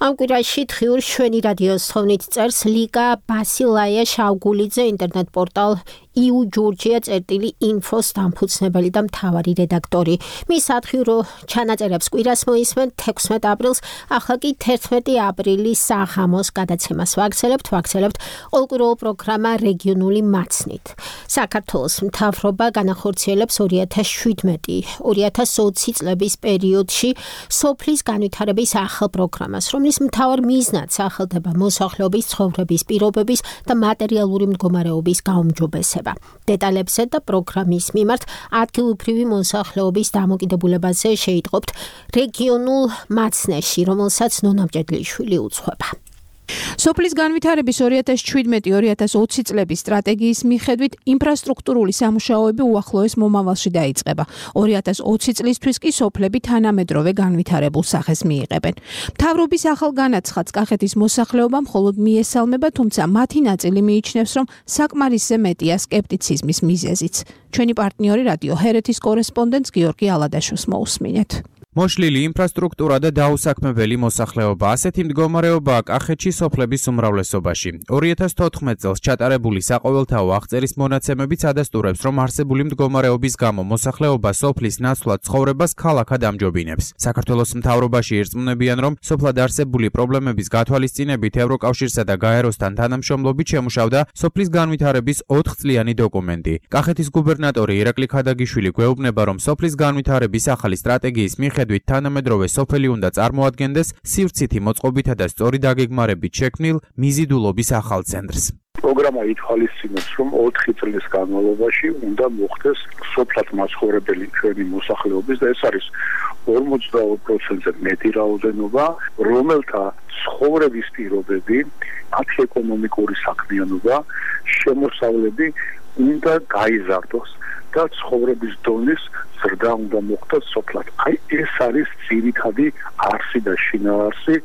ამ კვირაში დღიურ შვენი რადიოს თოვნით წერს ლიკა ბასილაია შავგულიძე ინტერნეტ პორტალ იუ ჯორჯია წერტილი ინფოს დამფუძნებელი და მთავარი რედაქტორი. მის სათხიურო ჩანაწერებს კვირას მოისმენ თექვსმეტ აპრილს, ახლა კი თერთმეტი აპრილის საღამოს გადაცემას ვაგრძელებთ, ვაგრძელებთ ყოველკვირეულ პროგრამა რეგიონული მაცნით. საქართველოს მთავრობა განახორციელებს ორი ათას შვიდმეტი ორი ათას ოცი წლების პერიოდში სოფლის განვითარების ახალ პროგრამას, რომლის მთავარ მიზნად სახელდება მოსახლეობის ცხოვრების პირობების და მატერიალური მდგომარეობის გაუმჯობესება. დეტალებზე და პროგრამის მიმართ ადგილობრივი მოსახლეობის დამოკიდებულებაზე შეიტყობთ რეგიონულ მაცნეში, რომელსაც ნონა მჭედლიშვილი უძღვება. სოფლის განვითარების ორი ათას შვიდმეტი ორი ათას ოცი წლების სტრატეგიის მიხედვით ინფრასტრუქტურული სამუშაოები უახლოეს მომავალში დაიწყება. ორი ათას ოცი წლისთვის კი სოფლები თანამედროვე განვითარებულ სახეს მიიღებენ. მთავრობის ახალ განაცხადს კახეთის მოსახლეობა მხოლოდ მიესალმება, თუმცა მათი ნაწილი მიიჩნევს, რომ საკმარისზე მეტია სკეპტიციზმის მიზეზიც. ჩვენი პარტნიორი რადიო ჰერეთის კორესპონდენტს გიორგი ალადაშვილს მოусმინეთ. მოშლილი ინფრასტრუქტურა და დაუსაქმებელი მოსახლეობა ასეთი მდგომარეობაა კახეთში სოფლების უმრავლესობაში. ორი ათას თოთხმეტ წელს ჩატარებული საყოველთაო აღწერის მონაცემებიც ადასტურებს, რომ არსებული მდგომარეობის გამო მოსახლეობა სოფლის ნაცვლად ცხოვრებას ქალაქად ამჯობინებს. საქართველოს მთავრობაში ირწმუნებიან, რომ სოფლად არსებული პრობლემების გათვალისწინებით ევროკავშირსა და გაეროსთან თანამშრომლობით შემუშავდა სოფლის განვითარების ოთხწლიანი დოკუმენტი. კახეთის გუბერნატორი ირაკლი ქადაგიშვილი გვეუბნება, რომ სოფლის განვითარების ახალი სტრატეგიის მიხედვით თანამედროვე სოფელი უნდა წარმოადგენდეს სივრცითი მოწყობითა და სწორი დაგეგმარებით შექმნილ მიზიდულობის ახალ ცენტრს. პროგრამა ითვალისწინებს, რომ ოთხი წლის განმავლობაში უნდა მოხდეს სოფლად მაცხოვრებელი ჩვენი მოსახლეობის და ეს არის ორმოცდაორი პროცენტზე მეტი რაოდენობა, რომელთა ცხოვრების პირობები, მათი ეკონომიკური საქმიანობა, შემოსავლები უნდა გაიზარდოს და ცხოვრების დონის ზრდა უნდა მოხდეს სოფლად. აი ეს არის ძირითადი არსი და შინაარსი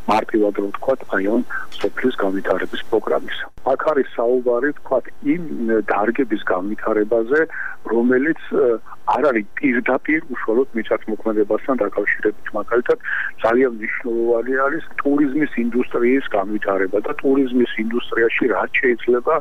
მარტივად რომ ვთქვათ, აი ამ სოფლის განვითარების პროგრამის. აქ არის საუბარი ვთქვათ იმ დარგების განვითარებაზე, რომელიც არ არის პირდაპირ უშუალოდ მიწათმოქმედებასთან დაკავშირებით, მაგალითად ძალიან მნიშვნელოვანი არის ტურიზმის ინდუსტრიის განვითარება და ტურიზმის ინდუსტრიაში რაც შეიძლება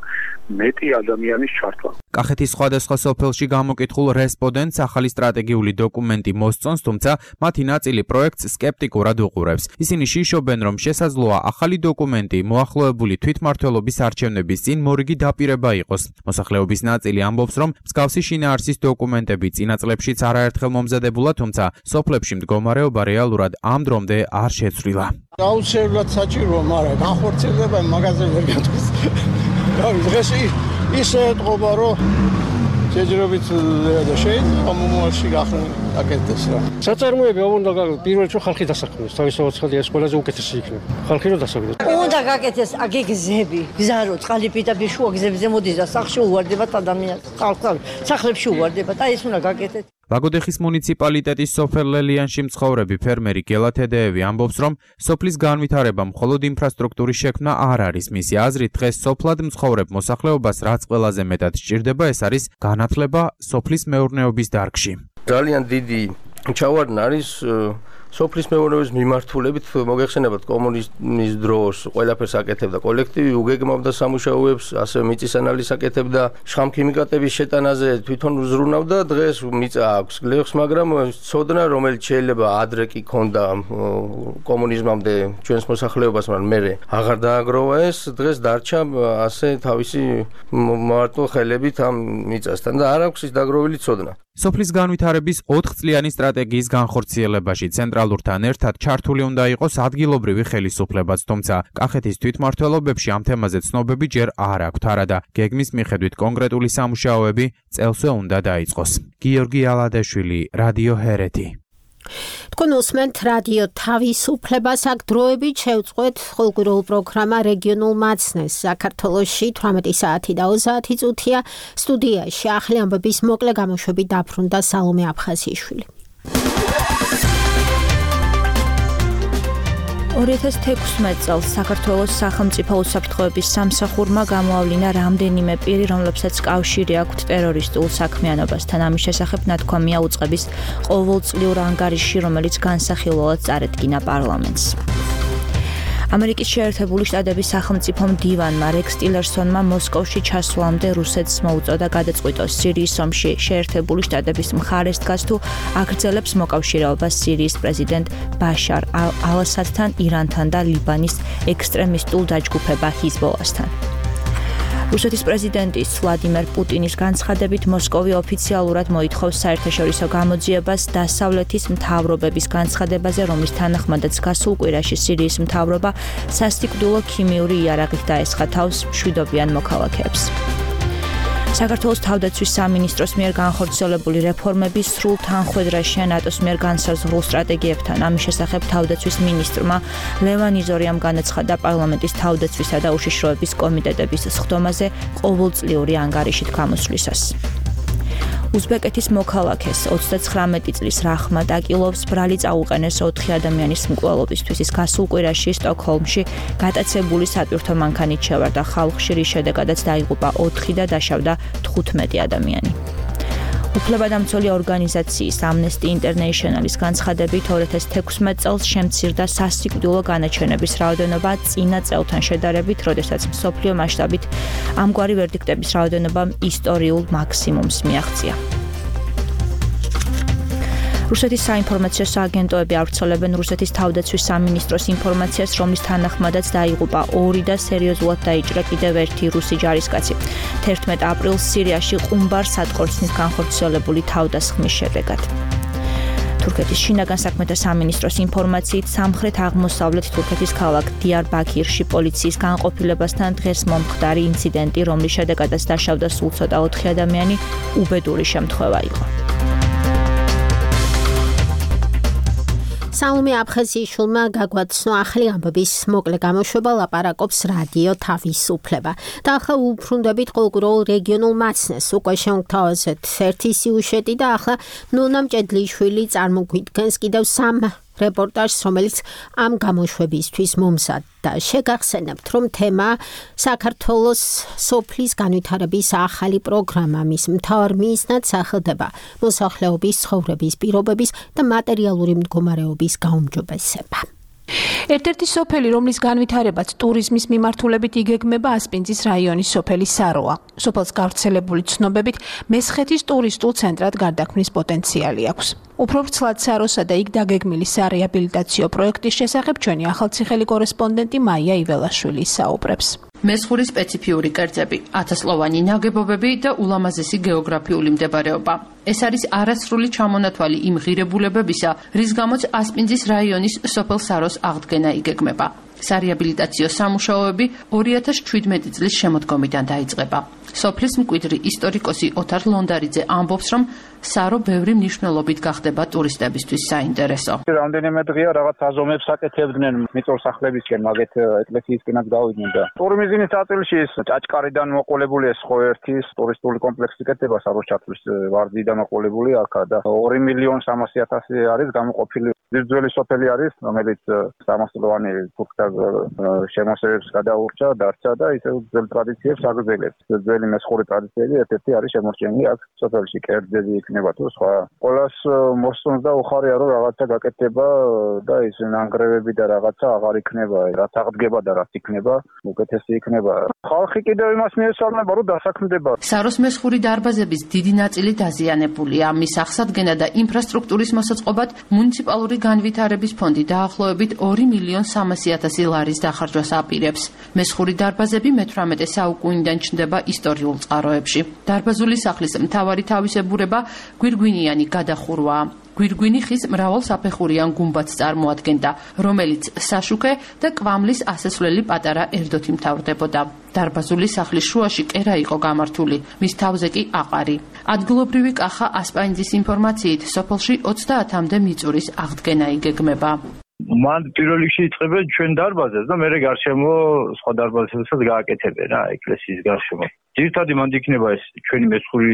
მეტი ადამიანის ჩართვა. კახეთის სხვადასხვა სოფელში გამოკითხულ რესპონდენტს ახალი სტრატეგიული დოკუმენტი მოსწონს, თუმცა მათი ნაწილი პროექტს სკეპტიკურად უყურებს. ისინი შიშობენ, რომ შესაძლოა ახალი დოკუმენტი მოახლოებული თვითმმართველობის არჩევნების წინ მორიგი დაპირება იყოს. მოსახლეობის ნაწილი ამბობს, რომ მსგავსი შინაარსის დოკუმენტები წინა წლებშიც არაერთხელ მომზადებულა, თუმცა სოფლებში მდგომარეობა რეალურად ამ დრომდე არ შეცვლილა. აუცილებლად საჭიროა, მაგრამ განხორციელება მაგაზე ვერ გათვლის. დღეს ისე ეთყობა, რომ შეჯერებით და შეიძლება მომავალში გახსნან აკეთდეს რა. საწარმოები უნდა პირველ რიგში ხალხი დასაქმდეს, თავისუფლად ხალხი ეს ყველაზე უკეთესი იქნება. ხალხი რო დასაქმდეს. უნდა გაკეთდეს აგი გზები, გზარო, წყალიფიტაბი შუა გზებზე მოდის და სახში უვარდებათ ადამიანს, ხალხს სახლებში უვარდებათ, აი ეს უნდა გაკეთდეს. ლაგოდეხის მუნიციპალიტეტის სოფელ ლელიანში მცხოვრები ფერმერი გელა თედეევი ამბობს, რომ სოფლის განვითარება მხოლოდ ინფრასტრუქტურის შექმნა არ არის. მისი აზრით, დღეს სოფლად მცხოვრებ მოსახლეობას რაც ყველაზე მეტად სჭირდება, ეს არის განათლება სოფლის მეურნეობის დარგში. ძალიან დიდი ჩავარდნა არის სოფლის მეურნეობის მიმართულებით მოგეხსენებათ კომუნიზმის დროს ყველაფერს აკეთებდა კოლექტივი, უგეგმავდა სამუშაოებს, ასევე მიწის ანალიზს აკეთებდა, შხამქიმიკატების შეტანაზე თვითონ უზრუნავდა, დღეს მიწა აქვს გლეხს, მაგრამ ცოდნა, რომელიც შეიძლება ადრე კი ქონდა კომუნიზმამდე ჩვენს მოსახლეობას, მაგრამ მერე აღარ დააგროვა ეს, დღეს დარჩა ასე თავისი მარტო ხელებით ამ მიწასთან და არ აქვს ის დაგროვილი ცოდნა. სოფლის განვითარების ოთხ წლიანი სტრატეგიის განხორციელებაში ცენტრალურთან ერთად ჩართული უნდა იყოს ადგილობრივი ხელისუფლებაც, თუმცა კახეთის თვითმმართველობებში ამ თემაზე ცნობები ჯერ არ აქვთ, არადა გეგმის მიხედვით კონკრეტული სამუშაოები წელსვე უნდა დაიწყოს. გიორგი ალადაშვილი, რადიო ჰერეთი. თქვენ უსმენთ რადიო თავისუფლებას, აქ დროებით შევწყვეთ ხალხურ პროგრამა რეგიონულ მაცნეს. საქართველოში თვრამეტი საათი და ოცდაათი წუთია. სტუდიაში ახალი ამბების მოკლე გამოშვებით დაბრუნდა სალომე აფხაზიშვილი. ორი ათას თექვსმეტ წელს საქართველოს სახელმწიფო უსაფრთხოების სამსახურმა გამოავლინა რამდენიმე პირი, რომლებსაც კავშირი აქვთ ტერორისტულ საქმიანობასთან. ამის შესახებ ნათქვამია უწყების ყოველწლიურ ანგარიშში, რომელიც განსახილველად წარედგინა პარლამენტს. ამერიკის შეერთებული შტატების სახელმწიფო მდივანმა რექს ტილერსონმა მოსკოვში ჩასვლამდე რუსეთს მოუწოდა გადაწყვიტოს სირიის ომში შეერთებული შტატების მხარეს დგას თუ აგრძელებს მოკავშირეობას სირიის პრეზიდენტ ბაშარ ალ-ასადთან, ირანთან და ლიბანის ექსტრემისტულ დაჯგუფება ჰიზბოლასთან. რუსეთის პრეზიდენტის ვლადიმერ პუტინის განცხადებით მოსკოვი ოფიციალურად მოითხოვს საერთაშორისო გამოძიებას დასავლეთის მთავრობების განცხადებაზე, რომლის თანახმადაც გასულ კვირაში სირიის მთავრობა სასტიკდულო ქიმიური იარაღით დაესხა თავს მშვიდობიან მოქალაქეებს. საქართველოს თავდაცვის სამინისტროს მიერ განხორციელებული რეფორმების სრულ თანხვედრაშია ნატოს მიერ განსაზღვრულ სტრატეგიებთან. ამის შესახებ თავდაცვის მინისტრმა ლევან იზორიამ განაცხადა პარლამენტის თავდაცვისა და უშიშროების კომიტეტების სხდომაზე ყოველწლიური ანგარიშით გამოსვლისას. უზბეკეთის მოქალაქეს ოცდაცხრამეტი წლის რახმად აკილოვს ბრალი წაუყენეს ოთხი ადამიანის მკვლელობისთვის. ის გასულ კვირაში სტოკჰოლმში გატაცებული სატვირთო მანქანით შევარდა ხალხში, რის შედეგადაც დაიღუპა ოთხი და დაშავდა თხუთმეტი ადამიანი. უფლებადამცველი ორგანიზაციის Amnesty International-ის განცხადებით ორი ათას თექვსმეტ წელს შემცირდა სასიკვდილო განაჩენების რაოდენობა წინა წელთან შედარებით, როდესაც მსოფლიო მასშტაბით ამგვარი ვერდიქტების რაოდენობა ისტორიულ მაქსიმუმს მიაღწია. რუსეთის საინფორმაციო სააგენტოები ავრცელებენ რუსეთის თავდაცვის სამინისტროს ინფორმაციას, რომლის თანახმადაც დაიღუპა ორი და სერიოზულად დაიჭრა კიდევ ერთი რუსი ჯარისკაცი. თერთმეტ აპრილს სირიაში ყუმბარ სატყორცნით განხორციელებული თავდასხმის შედეგად. თურქეთის შინაგან საქმეთა სამინისტროს ინფორმაციით სამხრეთ აღმოსავლეთ თურქეთის ქალაქ დიარბაქირში პოლიციის განყოფილებასთან დღეს მომხდარი ინციდენტი, რომლის შედეგადაც დაშავდა სულ ცოტა ოთხი ადამიანი, უბედური შემთხვევა იყო. სალომე აფხაზიშვილმა გაგვაცნო ახალი ამბების მოკლე გამოშვება, ლაპარაკობს რადიო თავისუფლება. და ახლა უბრუნდებით ხალხურ რეგიონულ მაცნეს. უკვე შევთავაზეთ ერთი სიუჟეტი და ახლა ნონა მჭედლიშვილი წარმოგვიდგენს კიდევ სამ რეპორტაჟს, რომელიც ამ გამოშვებისთვის მომზადდა. შეგახსენებთ, რომ თემა საქართველოს სოფლის განვითარების ახალი პროგრამა, მის მთავარ მიზნად სახელდება მოსახლეობის ცხოვრების პირობების და მატერიალური მდგომარეობის გაუმჯობესება. ერთ-ერთი სოფელი, რომლის განვითარებაც ტურიზმის მიმართულებით იგეგმება, ასპინძის რაიონის სოფელი საროა. სოფელს გავრცელებული ცნობებით მესხეთის ტურისტულ ცენტრად გარდაქმნის პოტენციალი აქვს. უფრო ვრცლად საროსა და იქ დაგეგმილი სარეაბილიტაციო პროექტის შესახებ ჩვენი ახალციხელი კორესპონდენტი მაია იველაშვილი საუბრებს. მესხური სპეციფიური კერძები, ათასლოვანი ნაგებობები და ულამაზესი გეოგრაფიული მდებარეობა. ეს არის არასრული ჩამონათვალი იმ ღირებულებებისა, რის გამოც ასპინძის რაიონის სოფელ საროს აღდგენა იგეგმება. სარეაბილიტაციო სამუშაოები ორი ათას შვიდმეტი წლის შემოდგომიდან დაიწყება. სოფლის მკვიდრი ისტორიკოსი ოთარ ლონდარიძე ამბობს, რომ სარო ბევრი მნიშვნელობით გახდება ტურისტებისთვის საინტერესო. რამდენიმე დღეა რაღაც აზომებს აკეთებდნენ მიწორსახლებისკენ, მაგეთ ეკლესიისკენაც გავიდნენ და ტურიზმის ნაწილში ის ჭაჭკარიდან მოყოლებული ეს ხო ერთი ტურისტული კომპლექსი კეთდება საროს ჩათვლის ვარდიდან მოყოლებული აქა და ორი მილიონი სამასი ათასი არის გამოყოფილი. ძველი სოფელი არის, რომელიც სამასლოვანი ფუქთა შემოსევებს გადაურჩა, დარჩა და ისევ ძველ ტრადიციებს აგრძელებს. ძველი მესხური ტრადიციები ერთ-ერთი არის შემორჩენილი აქ სოფელში, კერძები იქნება თუ სხვა. ყველას მოსწონს და უხარია რომ რაღაცა გაკეთდება და ის ნანგრევები და რაღაცა აღარ იქნება, რაც აღდგება და რაც იქნება, უკეთესი იქნება. ხალხი კიდევ იმას მიესალმება, რომ დასაქმდება. საროს მესხური დარბაზების დიდი ნაწილი დაზიანებულია. მის აღსადგენად და ინფრასტრუქტურის მოსაწყობად მუნიციპალური განვითარების ფონდი დაახლოებით ორი მილიონი სამასი ათასი ლარის დახარჯვას აპირებს. მესხური დარბაზები მეთვრამეტე საუკუნიდან ჩნდება ისტორიულ წყაროებში. დარბაზული სახლის მთავარი თავისებურება გვირგვინიანი გადახურვაა. გვირგვინი ხის მრავალსაფეხურიან გუმბათს წარმოადგენდა, რომელიც საშუქე და კვამლის ასასვლელი პატარა ერდოთი მთავრდებოდა. დარბაზული სახლის შუაში კერა იყო გამართული, მის თავზე კი აყარი. ადგილობრივი კახა ასპანძის ინფორმაციით, სოფელში ოცდაათამდე მიწურის აღდგენა იგეგმება. მან პირველ რიგში იწყებენ ჩვენ დარბაზებს და მერე გარშემო სხვა დარბაზებსაც გააკეთებენ რა ეკლესიის გარშემო. ძირითადად მანდ იქნება ეს ჩვენი მესხური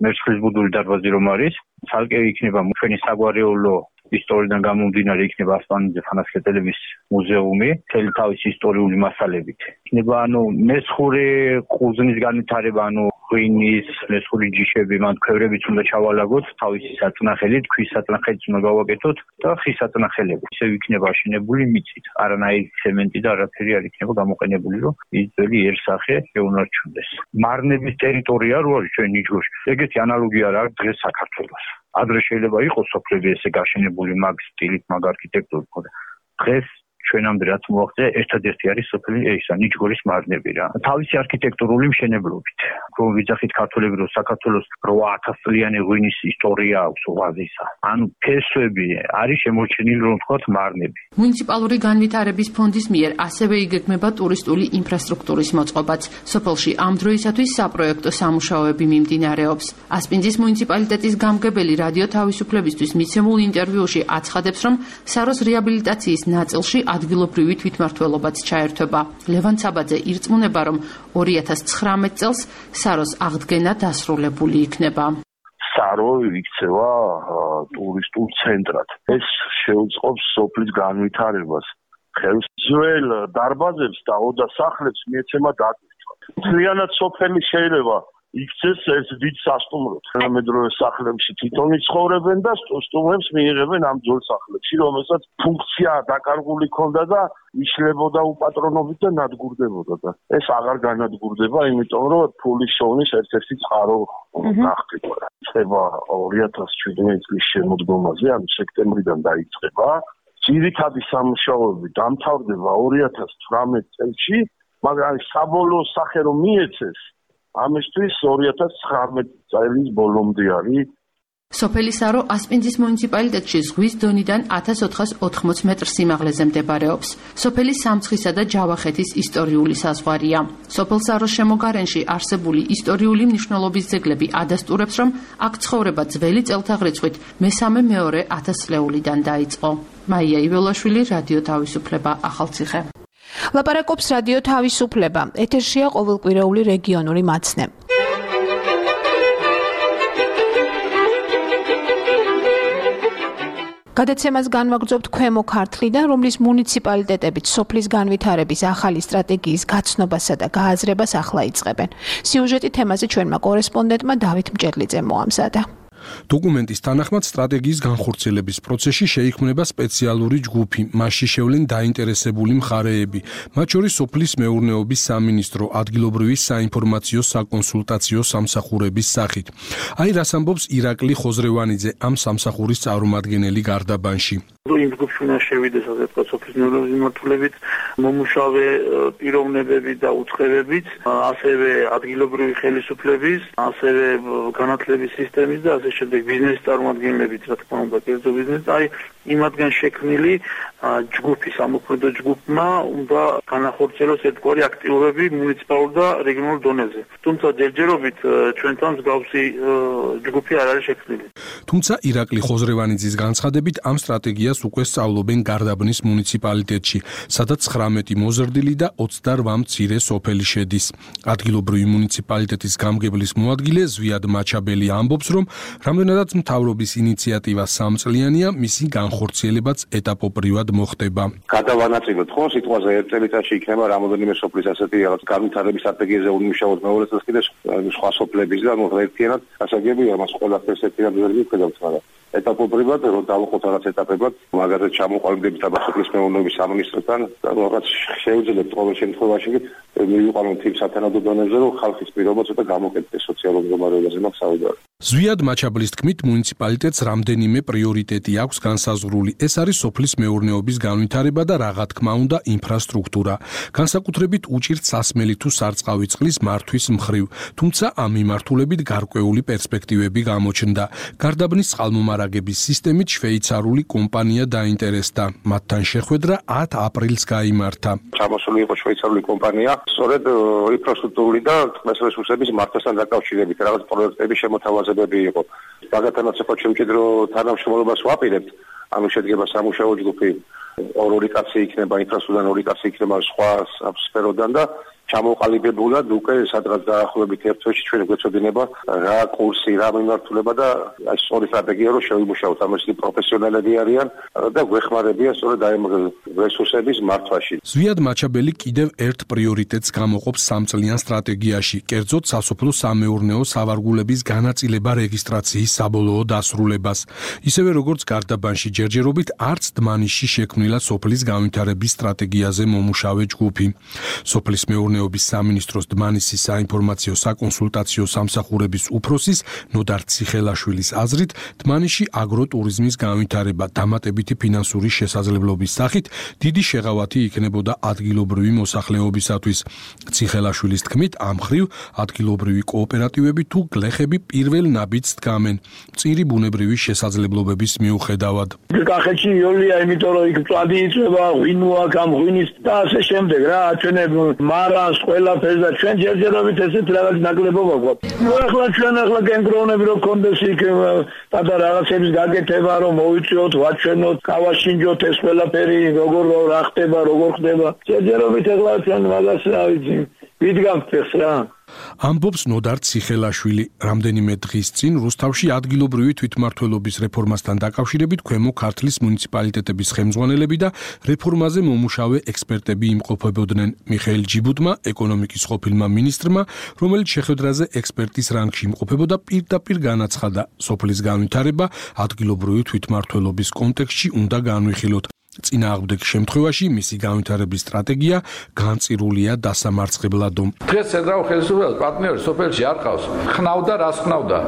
მერცხლის ბუდული დარბაზი რომ არის, ცალკე იქნება ჩვენი საგვარეულო ისტორიიდან გამომდინარე იქნება ასპანიძე ხანასკეტელების მუზეუმი, მთელი თავისი ისტორიული მასალებით. იქნება ანუ მესხური ყურძნის განვითარება, ანუ ღვინის, მესხური ჯიშები, მან ქვევრებიც უნდა ჩავალაგოთ, თავისი საწნახელით, ქვის საწნახელიც უნდა გავაკეთოთ და ხის საწნახელები. ისევ იქნება აშენებული მიწით, არანაირი ცემენტი და არაფერი არ იქნება გამოყენებული, რომ ის ძველი იერსახე შეუნარჩუნდეს. მარნების ტერიტორია რო არის ჩვენ ნიჟგორში, ეგეთი ანალოგია არ აქვს დღეს საქართველოს. ადრე შეიძლება იყოს სოფლები ესე გაშენებული მაგ სტილით, მაგ არქიტექტურით, მაგრამ დღეს ჩვენამდე რაც მოაღწია, ერთადერთი არის სოფელი ესა ნიჟგორის მარნები რა. თავისი არქიტექტურული მშენებლობით. რომ ვიძახით ქართველები, რომ საქართველოს რვა ათას წლიანი ღვინის ისტორია აქვს უღაზისა. ანუ ფესვები არის შემორჩენილი რომ ვთქვათ მარნები. მუნიციპალური განვითარების ფონდის მიერ ასევე იგეგმება ტურისტული ინფრასტრუქტურის მოწყობაც. სოფელში ამ დროისათვის საპროექტო სამუშაოები მიმდინარეობს. ასპინძის მუნიციპალიტეტის გამგებელი რადიო თავისუფლებისთვის მიცემულ ინტერვიუში აცხადებს, რომ საროს რეაბილიტაციის ნაწილში ადგილობრივი თვითმმართველობაც ჩაერთვება. ლევან ცაბაძე ირწმუნება, რომ ორი ათას ცხრამეტ წელს საროს აღდგენა დასრულებული იქნება. სარო იქცევა ტურისტულ ცენტრად. ეს შეუწყობს სოფლის განვითარებას. ხელს ძველ დარბაზებს და ოდა სახლებს მიეცემა დატვირთვა. მთლიანად სოფელი შეიძლება იქცეს ეს დიდ სასტუმროდ. თანამედროვე სახლებში თვითონ იცხოვრებენ და სტუმრებს მიიღებენ ამ ძველ სახლებში, რომელსაც ფუნქცია დაკარგული ქონდა და იშლებოდა უპატრონობით და ნადგურდებოდა და ეს აღარ განადგურდება, იმიტომ რომ ფულის შოვნის ერთ-ერთი წყარო გახდება. ხება ორი ათას შვიდმეტი წლის შემოდგომაზე, ანუ სექტემბრიდან დაიწყება. ძირითადი სამუშაოები დამთავრდება ორი ათას ცხრამეტ წელს, მაგრამ საბოლოო სახე რომ მიეცეს ამისთვის ორი ათას ცხრამეტ წლის ბოლომდე არის. სოფელი სარო ასპინძის მუნიციპალიტეტში ზღვის დონიდან ათას ოთხას ოთხმოცი მეტრ სიმაღლეზე მდებარეობს. სოფელი სამცხისა და ჯავახეთის ისტორიული საზღვარია. სოფელ საროს შემოგარენში არსებული ისტორიული მნიშვნელობის ძეგლები ადასტურებს, რომ აქ ცხოვრება ძველი წელთაღრიცხვით მესამე-მეორე ათასწლეულიდან დაიწყო. მაია იველაშვილი, რადიო თავისუფლება, ახალციხე. ლაპარაკობს რადიო თავისუფლება. ეთერშია ყოველკვირეული რეგიონული მაცნე. გადაცემას განვაგრძობთ ქვემო ქართლიდან, რომლის მუნიციპალიტეტებიც სოფლის განვითარების ახალი სტრატეგიის გაცნობასა და გააზრებას ახლა იწყებენ. სიუჟეტი თემაზე ჩვენმა კორესპონდენტმა დავით მჭედლიძე მოამზადა. დოკუმენტის თანახმად სტრატეგიის განხორციელების პროცესში შეიქმნება სპეციალური ჯგუფი, მასში შევლენ დაინტერესებული მხარეები, მათ შორის სოფლის მეურნეობის სამინისტრო, ადგილობრივი საინფორმაციო საკონსულტაციო სამსახურების სახით. აი რას ამბობს ირაკლი ხოზრევანიძე, ამ სამსახურის წარმომადგენელი გარდაბანში. იმ ჯგუფში უნდა შევიდეს ასე ვთქვათ სოფლის მეურნეობის მიმართულებით მომუშავე პიროვნებები და უწყებებიც, ასევე ადგილობრივი ხელისუფლების, ასევე განათლების სისტემის და ასე შემდეგ ბიზნესის წარმომადგენლებიც, რა თქმა უნდა, კერძო ბიზნესი, აი იმათგან შექმნილი ჯგუფი, სამოქმედო ჯგუფმა უნდა განახორციელოს ერთგვარი აქტივობები მუნიციპალურ და რეგიონულ დონეზე. თუმცა ჯერჯერობით ჩვენთან მსგავსი ჯგუფი არ არის შექმნილი. თუმცა ირაკლი ხოზრევანიძის განცხადებით ამ სტრატეგიას უკვე სწავლობენ გარდაბნის მუნიციპალიტეტში, სადაც ცხრამეტი მოზრდილი და ოცდარვა მცირე სოფელი შედის. ადგილობრივი მუნიციპალიტეტის გამგებლის მოადგილე ზვიად მაჩაბელი ამბობს, რომ რამდენადაც მთავრობის ინიციატივა სამწლიანია, მისი განხორციელებაც ეტაპობრივად მოხდება. გადავანაწილოთ ხო სიტყვაზე ერთ წელიწადში იქნება რამოდენიმე სოფლის ასეთი რაღაც განვითარების სტრატეგიაზე უნიმუშაოთ მეორე წელს კიდე სხვა სოფლების და ნუ ერთიანად გასაგებია მას ყველაფერს ერთიანად ვერ ვიხედავთ მაგრამ ეტაპობრივად რომ დავუყოთ რაღაც ეტაპებად მაგალითად ჩამოყალიბდებით აბასოფლის მეურნეობის სამინისტროსთან და რაღაც შეუძლებთ ყოველ შემთხვევაში მივიყვანოთ იმ სათანადო დონეზე რომ ხალხის პირობა ცოტა გამოკეთდეს სოციალურ მდგომარეობაზე მაგ საუბარი. ზვიად მაჩაბლის თქმით მუნიციპალიტეტს რამდენიმე პრიორიტეტი აქვს განსაზღვრული. ეს არის სოფლის მეურნეობის განვითარება და რა თქმა უნდა ინფრასტრუქტურა. განსაკუთრებით უჭირთ სასმელი თუ სარწყავი წყლის მართვის მხრივ, თუმცა ამ მიმართულებით გარკვეული პერსპექტივები გამოჩნდა. გარდაბნის წყალმომარაგების სისტემით შვეიცარიული კომპანია დაინტერესდა. მათთან შეხვედრა ათ აპრილს გაიმართა. ჩამოსული იყო შვეიცარიული კომპანია, სწორედ ინფრასტრუქტურული და წყლის რესურსების მართვასთან დაკავშირებით რაღაც პროექტების შემოთავაზებები იყო. მაგათანაც იყო შემჭიდრო თანამშრომლობას ვაპირებთ. ანუ შედგება სამუშაო ჯგუფი, ორი კაცი იქნება ინფრასტრუქტურიდან, ორი კაცი იქნება სხვა სფეროდან და ჩამოყალიბებულად უკვე სადღაც დაახლოებით ერთ თვეში ჩვენ გვეცოდინება რა კურსი, რა მიმართულება და აი სწორი სტრატეგია რომ შევიმუშაოთ. ამასი პროფესიონალები არიან და გვეხმარებიან სწორედ აი რესურსების მართვაში. ზვიად მაჩაბელი კიდევ ერთ პრიორიტეტს გამოყოფს სამწლიან სტრატეგიაში, კერძოდ სასოფლო-სამეურნეო სავარგულების განაწილება რეგისტრაციის საბოლოო დასრულებას. ისევე როგორც გარდაბანში ჯერჯერობით არც დმანისში შექმნილა სოფლის განვითარების სტრატეგიაზე მომუშავე ჯგუფი. სოფლის მეურნეობის სამინისტროს დმანისის საინფორმაციო საკონსულტაციო სამსახურების უფროსის ნოდარ ციხელაშვილის აზრით, დმანისში აგროტურიზმის განვითარება დამატებითი ფინანსური შესაძლებლობის სახით დიდი შეღავათი იქნებოდა ადგილობრივი მოსახლეობისათვის. ციხელაშვილის თქმით, ამ მხრივ ადგილობრივი კოოპერატივები თუ გლეხები პირველ ნაბიჯს დგამენ მწირი ბუნებრივი შესაძლებლობების მიუხედავად. კახეთში იოლია, იმიტომ რომ იქ მწვადი იწვება, ღვინოა, გამღვინის და ასე შემდეგ რა, ჩვენებ მარას ყველაფერს და ჩვენ ჯერჯერობით ესეთ რაღაც ნაკლებობა გვაქვს. ნუ ახლა ჩვენ ახლა გენგროვნები რომ კონდეს იქ და რაღაცების გაკეთება რომ მოვიწიოთ, ვაჩვენოთ, გავაშინჯოთ ეს ყველაფერი როგორ რა ხდება, როგორ ხდება. ჯერჯერობით ახლა ჩვენ მაგას რა ვიცი, ვიდგამთ ეს რა. ამბობს ნოდარ ციხელაშვილი. რამდენიმე დღის წინ რუსთავში ადგილობრივი თვითმმართველობის რეფორმასთან დაკავშირებით ქვემო ქართლის მუნიციპალიტეტების ხელმძღვანელები და რეფორმაზე მომუშავე ექსპერტები იმყოფებოდნენ. მიხეილ ჯიბუტმა, ეკონომიკის ყოფილმა მინისტრმა, რომელიც შეხვედრაზე ექსპერტის რანგში იმყოფებოდა, პირდაპირ განაცხადა, სოფლის განვითარება ადგილობრივი თვითმმართველობის კონტექსტში უნდა განვიხილოთ. წინააღმდეგ შემთხვევაში მისი განვითარების სტრატეგია განწირულია დასამარცხებლადო. დღეს ცენტრალურ ხელისუფლებას პარტნიორი სოფელში არ ყავს. ხნავდა, რას ხნავდა?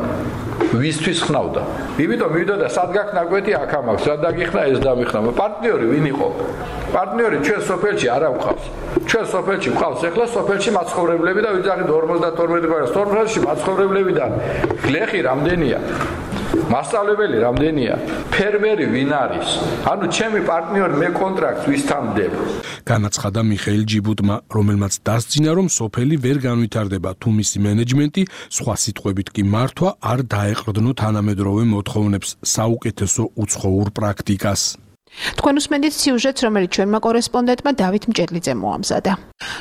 ვისთვის ხნავდა? იმიტომ მივიდა სად გაქნაგვეთი აქ ამაქვს, რა დაგიხნა ეს დამიხნა. პარტნიორი ვინ იყო? პარტნიორი ჩვენ სოფელში არ ამყავს. ჩვენ სოფელში ყავს ახლა სოფელში მაცხოვრებლები და ვიძახით ორმოცდათორმეტი პროცენტი. სოფელში მაცხოვრებლებიდან გლეხი რამდენია? მასწავლებელი რამდენია? ფერმერი ვინ არის? ანუ ჩემი პარტნიორი მე კონტრაქტს ვისთან ვდებ. განაცხადა მიხეილ ჯიბუტმა, რომელმაც დასძინა, რომ სოფელი ვერ განვითარდება, თუ მისი მენეჯმენტი, სხვა სიტყვებით კი მართვა, არ დაეყრდნო თანამედროვე მოთხოვნებს, საუკეთესო უცხოურ პრაქტიკას. თქვენ უსმენთ სიუჟეტს, რომელიც ჩვენმა კორესპონდენტმა დავით მჭედლიძემ მოამზადა.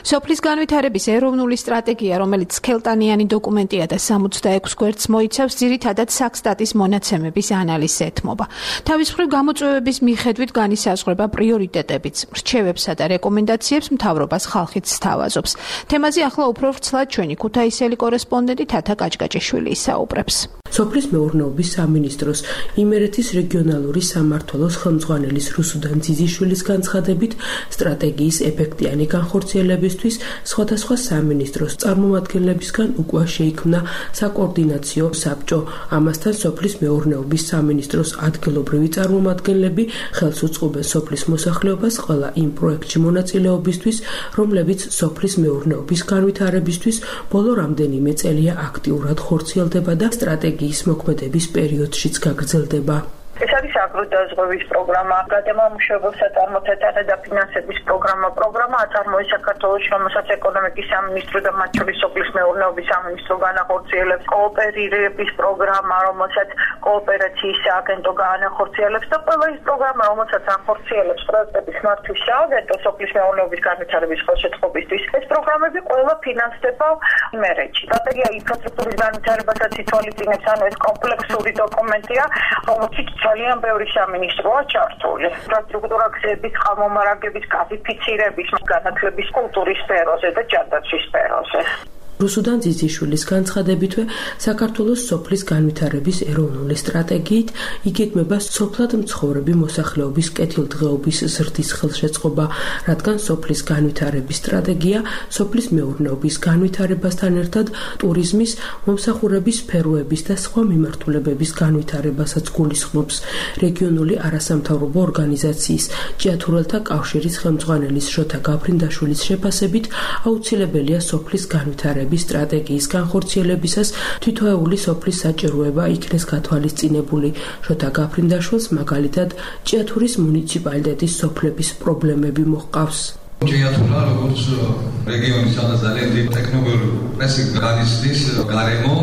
სოფლის განვითარების ეროვნული სტრატეგია, რომელიც სქელტანიანი დოკუმენტია და სამოცდაექვს გვერდს მოიცავს, ძირითადად საქსტატის მონაცემების ანალიზს ეთმობა. თავის მხრივ გამოწვევების მიხედვით განისაზღვრება პრიორიტეტებიც, რჩევებსა და რეკომენდაციებს მთავრობას ხალხიც სთავაზობს. თემაზე ახლა უფრო ვრცლად ჩვენი ქუთაისელი კორესპონდენტი თათა კაჭკაჭიშვილი ისაუბრებს. სოფლის მეურნეობის სამინისტროს იმერეთის რეგიონალური სამმართველოს ხელმძღვანელი რუსუდან ძიძიშვილის განცხადებით, სტრატეგიის ეფექტიანი განხორციელებისთვის სხვადასხვა სამინისტროს წარმომადგენლებისგან უკვე შეიქმნა საკოორდინაციო საბჭო. ამასთან სოფლის მეურნეობის სამინისტროს ადგილობრივი წარმომადგენლები ხელს უწყობენ სოფლის მოსახლეობას ყველა იმ პროექტში მონაწილეობისთვის, რომლებიც სოფლის მეურნეობის განვითარებისთვის ბოლო რამდენიმე წელია აქტიურად ხორციელდება და სტრატეგიის მოქმედების პერიოდშიც გაგრძელდება. ეს არის აგროდაზღვევის პროგრამა, გადამამუშავებელ საწარმოთათა და ფინანსების პროგრამა. პროგრამა აწარმოებს საქართველოს, რომელსაც ეკონომიკის სამინისტრო და მათ შორის სოფლის მეურნეობის სამინისტრო განახორციელებს. კოოპერირების პროგრამა, რომელსაც კოოპერაციის სააგენტო განახორციელებს და ყველა ის პროგრამა, რომელსაც ახორციელებს პროექტების მართვის სააგენტო სოფლის მეურნეობის განვითარების ხელშეწყობისთვის. ეს პროგრამები ყველა ფინანსდება იმერეთში. სტრატეგია ინფრასტრუქტურის განვითარებასაც ითვალისწინებს, ანუ ეს კომპლექსური დოკუმენტია, რომელშიც ძალიან ბევრი სექტორის სამინისტროა ჩართული. ინფრასტრუქტურა გზების ხამომარაგების გაზიფიცირების განათლების კულტურის სფეროზე და ჯანდაცვის სფეროზე. რუსუდან ძიძიშვილის განცხადებითვე საქართველოს სოფლის განვითარების ეროვნული სტრატეგიით იგეგმება სოფლად მცხოვრები მოსახლეობის კეთილდღეობის ზრდის ხელშეწყობა, რადგან სოფლის განვითარების სტრატეგია სოფლის მეურნეობის განვითარებასთან ერთად ტურიზმის, მომსახურების სფეროების და სხვა მიმართულებების განვითარებასაც გულისხმობს. რეგიონული არასამთავრობო ორგანიზაციის ჭიათურელთა კავშირის ხელმძღვანელის შოთა გაფრინდაშვილის შეფასებით აუცილებელია სოფლის განვითარების სტრატეგიის განხორციელებისას თითოეული სოფლის საჭიროება იქნეს გათვალისწინებული. შოთა გაფრინდაშვილს მაგალითად ჭიათურის მუნიციპალიტეტის სოფლების პრობლემები მოჰყავს. ჭიათურა როგორც რეგიონის სადაც ძალიან დიდი ტექნოლოგიური პრესი განიცდის გარემო,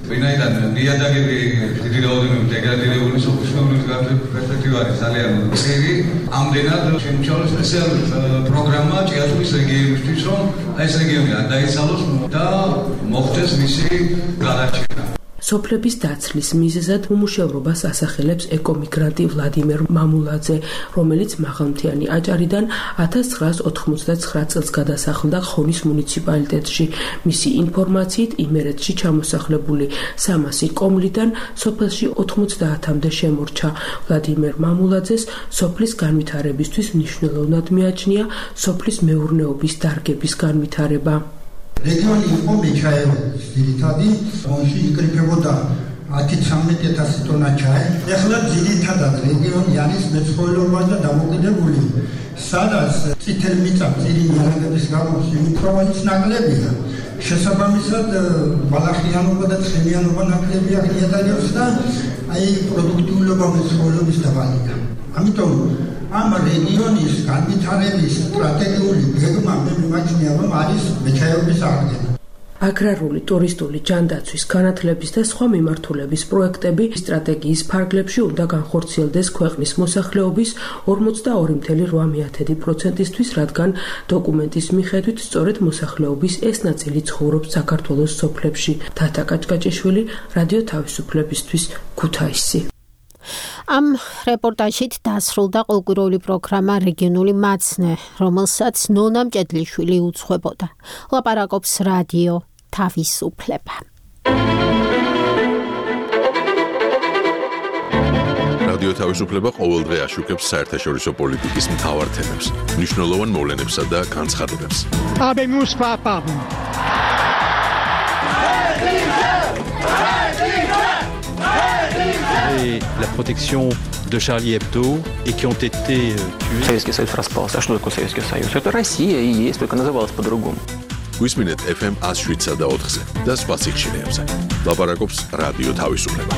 ვინაიდან ნიადაგები დიდი რაოდენობით დეგრადირებული სოფლის მეურნეობის პერსპექტივა არის ძალიან მწირი. ამდენად შემოჩალა სპეციალური პროგრამა ჭიათურის რეგიონისთვის, რომ ეს რეგიონი არ დაიცალოს და მოხდეს მისი განარჩენა. სოფლების დაცლის მიზეზად უმუშევრობას ასახელებს ეკომიგრანტი ვლადიმერ მამულაძე, რომელიც მაღალმთიანი აჭარიდან ათას ცხრაას ოთხმოცდაცხრა წელს გადასახლდა ხონის მუნიციპალიტეტში. მისი ინფორმაციით იმერეთში ჩამოსახლებული სამასი კომლიდან სოფელში ოთხმოცდაათამდე შემორჩა. ვლადიმერ მამულაძეს სოფლის განვითარებისთვის მნიშვნელოვნად მიაჩნია სოფლის მეურნეობის დარგების განვითარება. რეგიონი იყო მეჩაიეობის ძირითადი, რომელში იკრიფებოდა ათი ცხრამეტი ათასი ტონა ჩაი. ეხლა ძირითადად რეგიონი არის მეცხოველეობაზე და დამოკიდებული, სადაც წითელი მიწა მწირი ნიადაგების გამო სიმიქროვანიც ნაკლებია. შესაბამისად ბალახიანობა და ცხენიანობა ნაკლებია ნიადაგებს და აი პროდუქტიულობა მეცხოველეობის დაბალია. ამიტომ ამ რეგიონის განვითარების სტრატეგიული გეგმა მე მიმაჩნია, რომ არის მეჩაიეობის აღდგენა. აგრარული, ტურისტული, ჯანდაცვის, განათლების და სხვა მიმართულების პროექტები სტრატეგიის ფარგლებში უნდა განხორციელდეს ქვეყნის მოსახლეობის ორმოცდაორი წუთი ორი პროცენტისთვის, რადგან დოკუმენტის მიხედვით სწორედ მოსახლეობის ეს ნაწილი ცხოვრობს საქართველოს სოფლებში. თათა კაჭკაჭიშვილი, რადიო თავისუფლებისთვის, ქუთაისი. ამ რეპორტაჟით დასრულდა ყოველკვირეული პროგრამა რეგიონული მაცნე, რომელსაც ნონა მჭედლიშვილი უძღვებოდა. ლაპარაკობს რადიო თავისუფლება. რადიო თავისუფლება ყოველდღე აშუქებს საერთაშორისო პოლიტიკის მთავარ თემებს, მნიშვნელოვან მოვლენებსა და განცხადებებს. Habemus papam. Et la protection de Charlie Hebdo et qui ont été tués. Советский Союз распался. А что такое Советский Союз? Это Россия и есть, только называлась по-другому. გვისმინეთ эф эм one oh seven და ოთხზე და სხვა სიხშირეებზე. ლაპარაკობს რადიო თავისუფლება.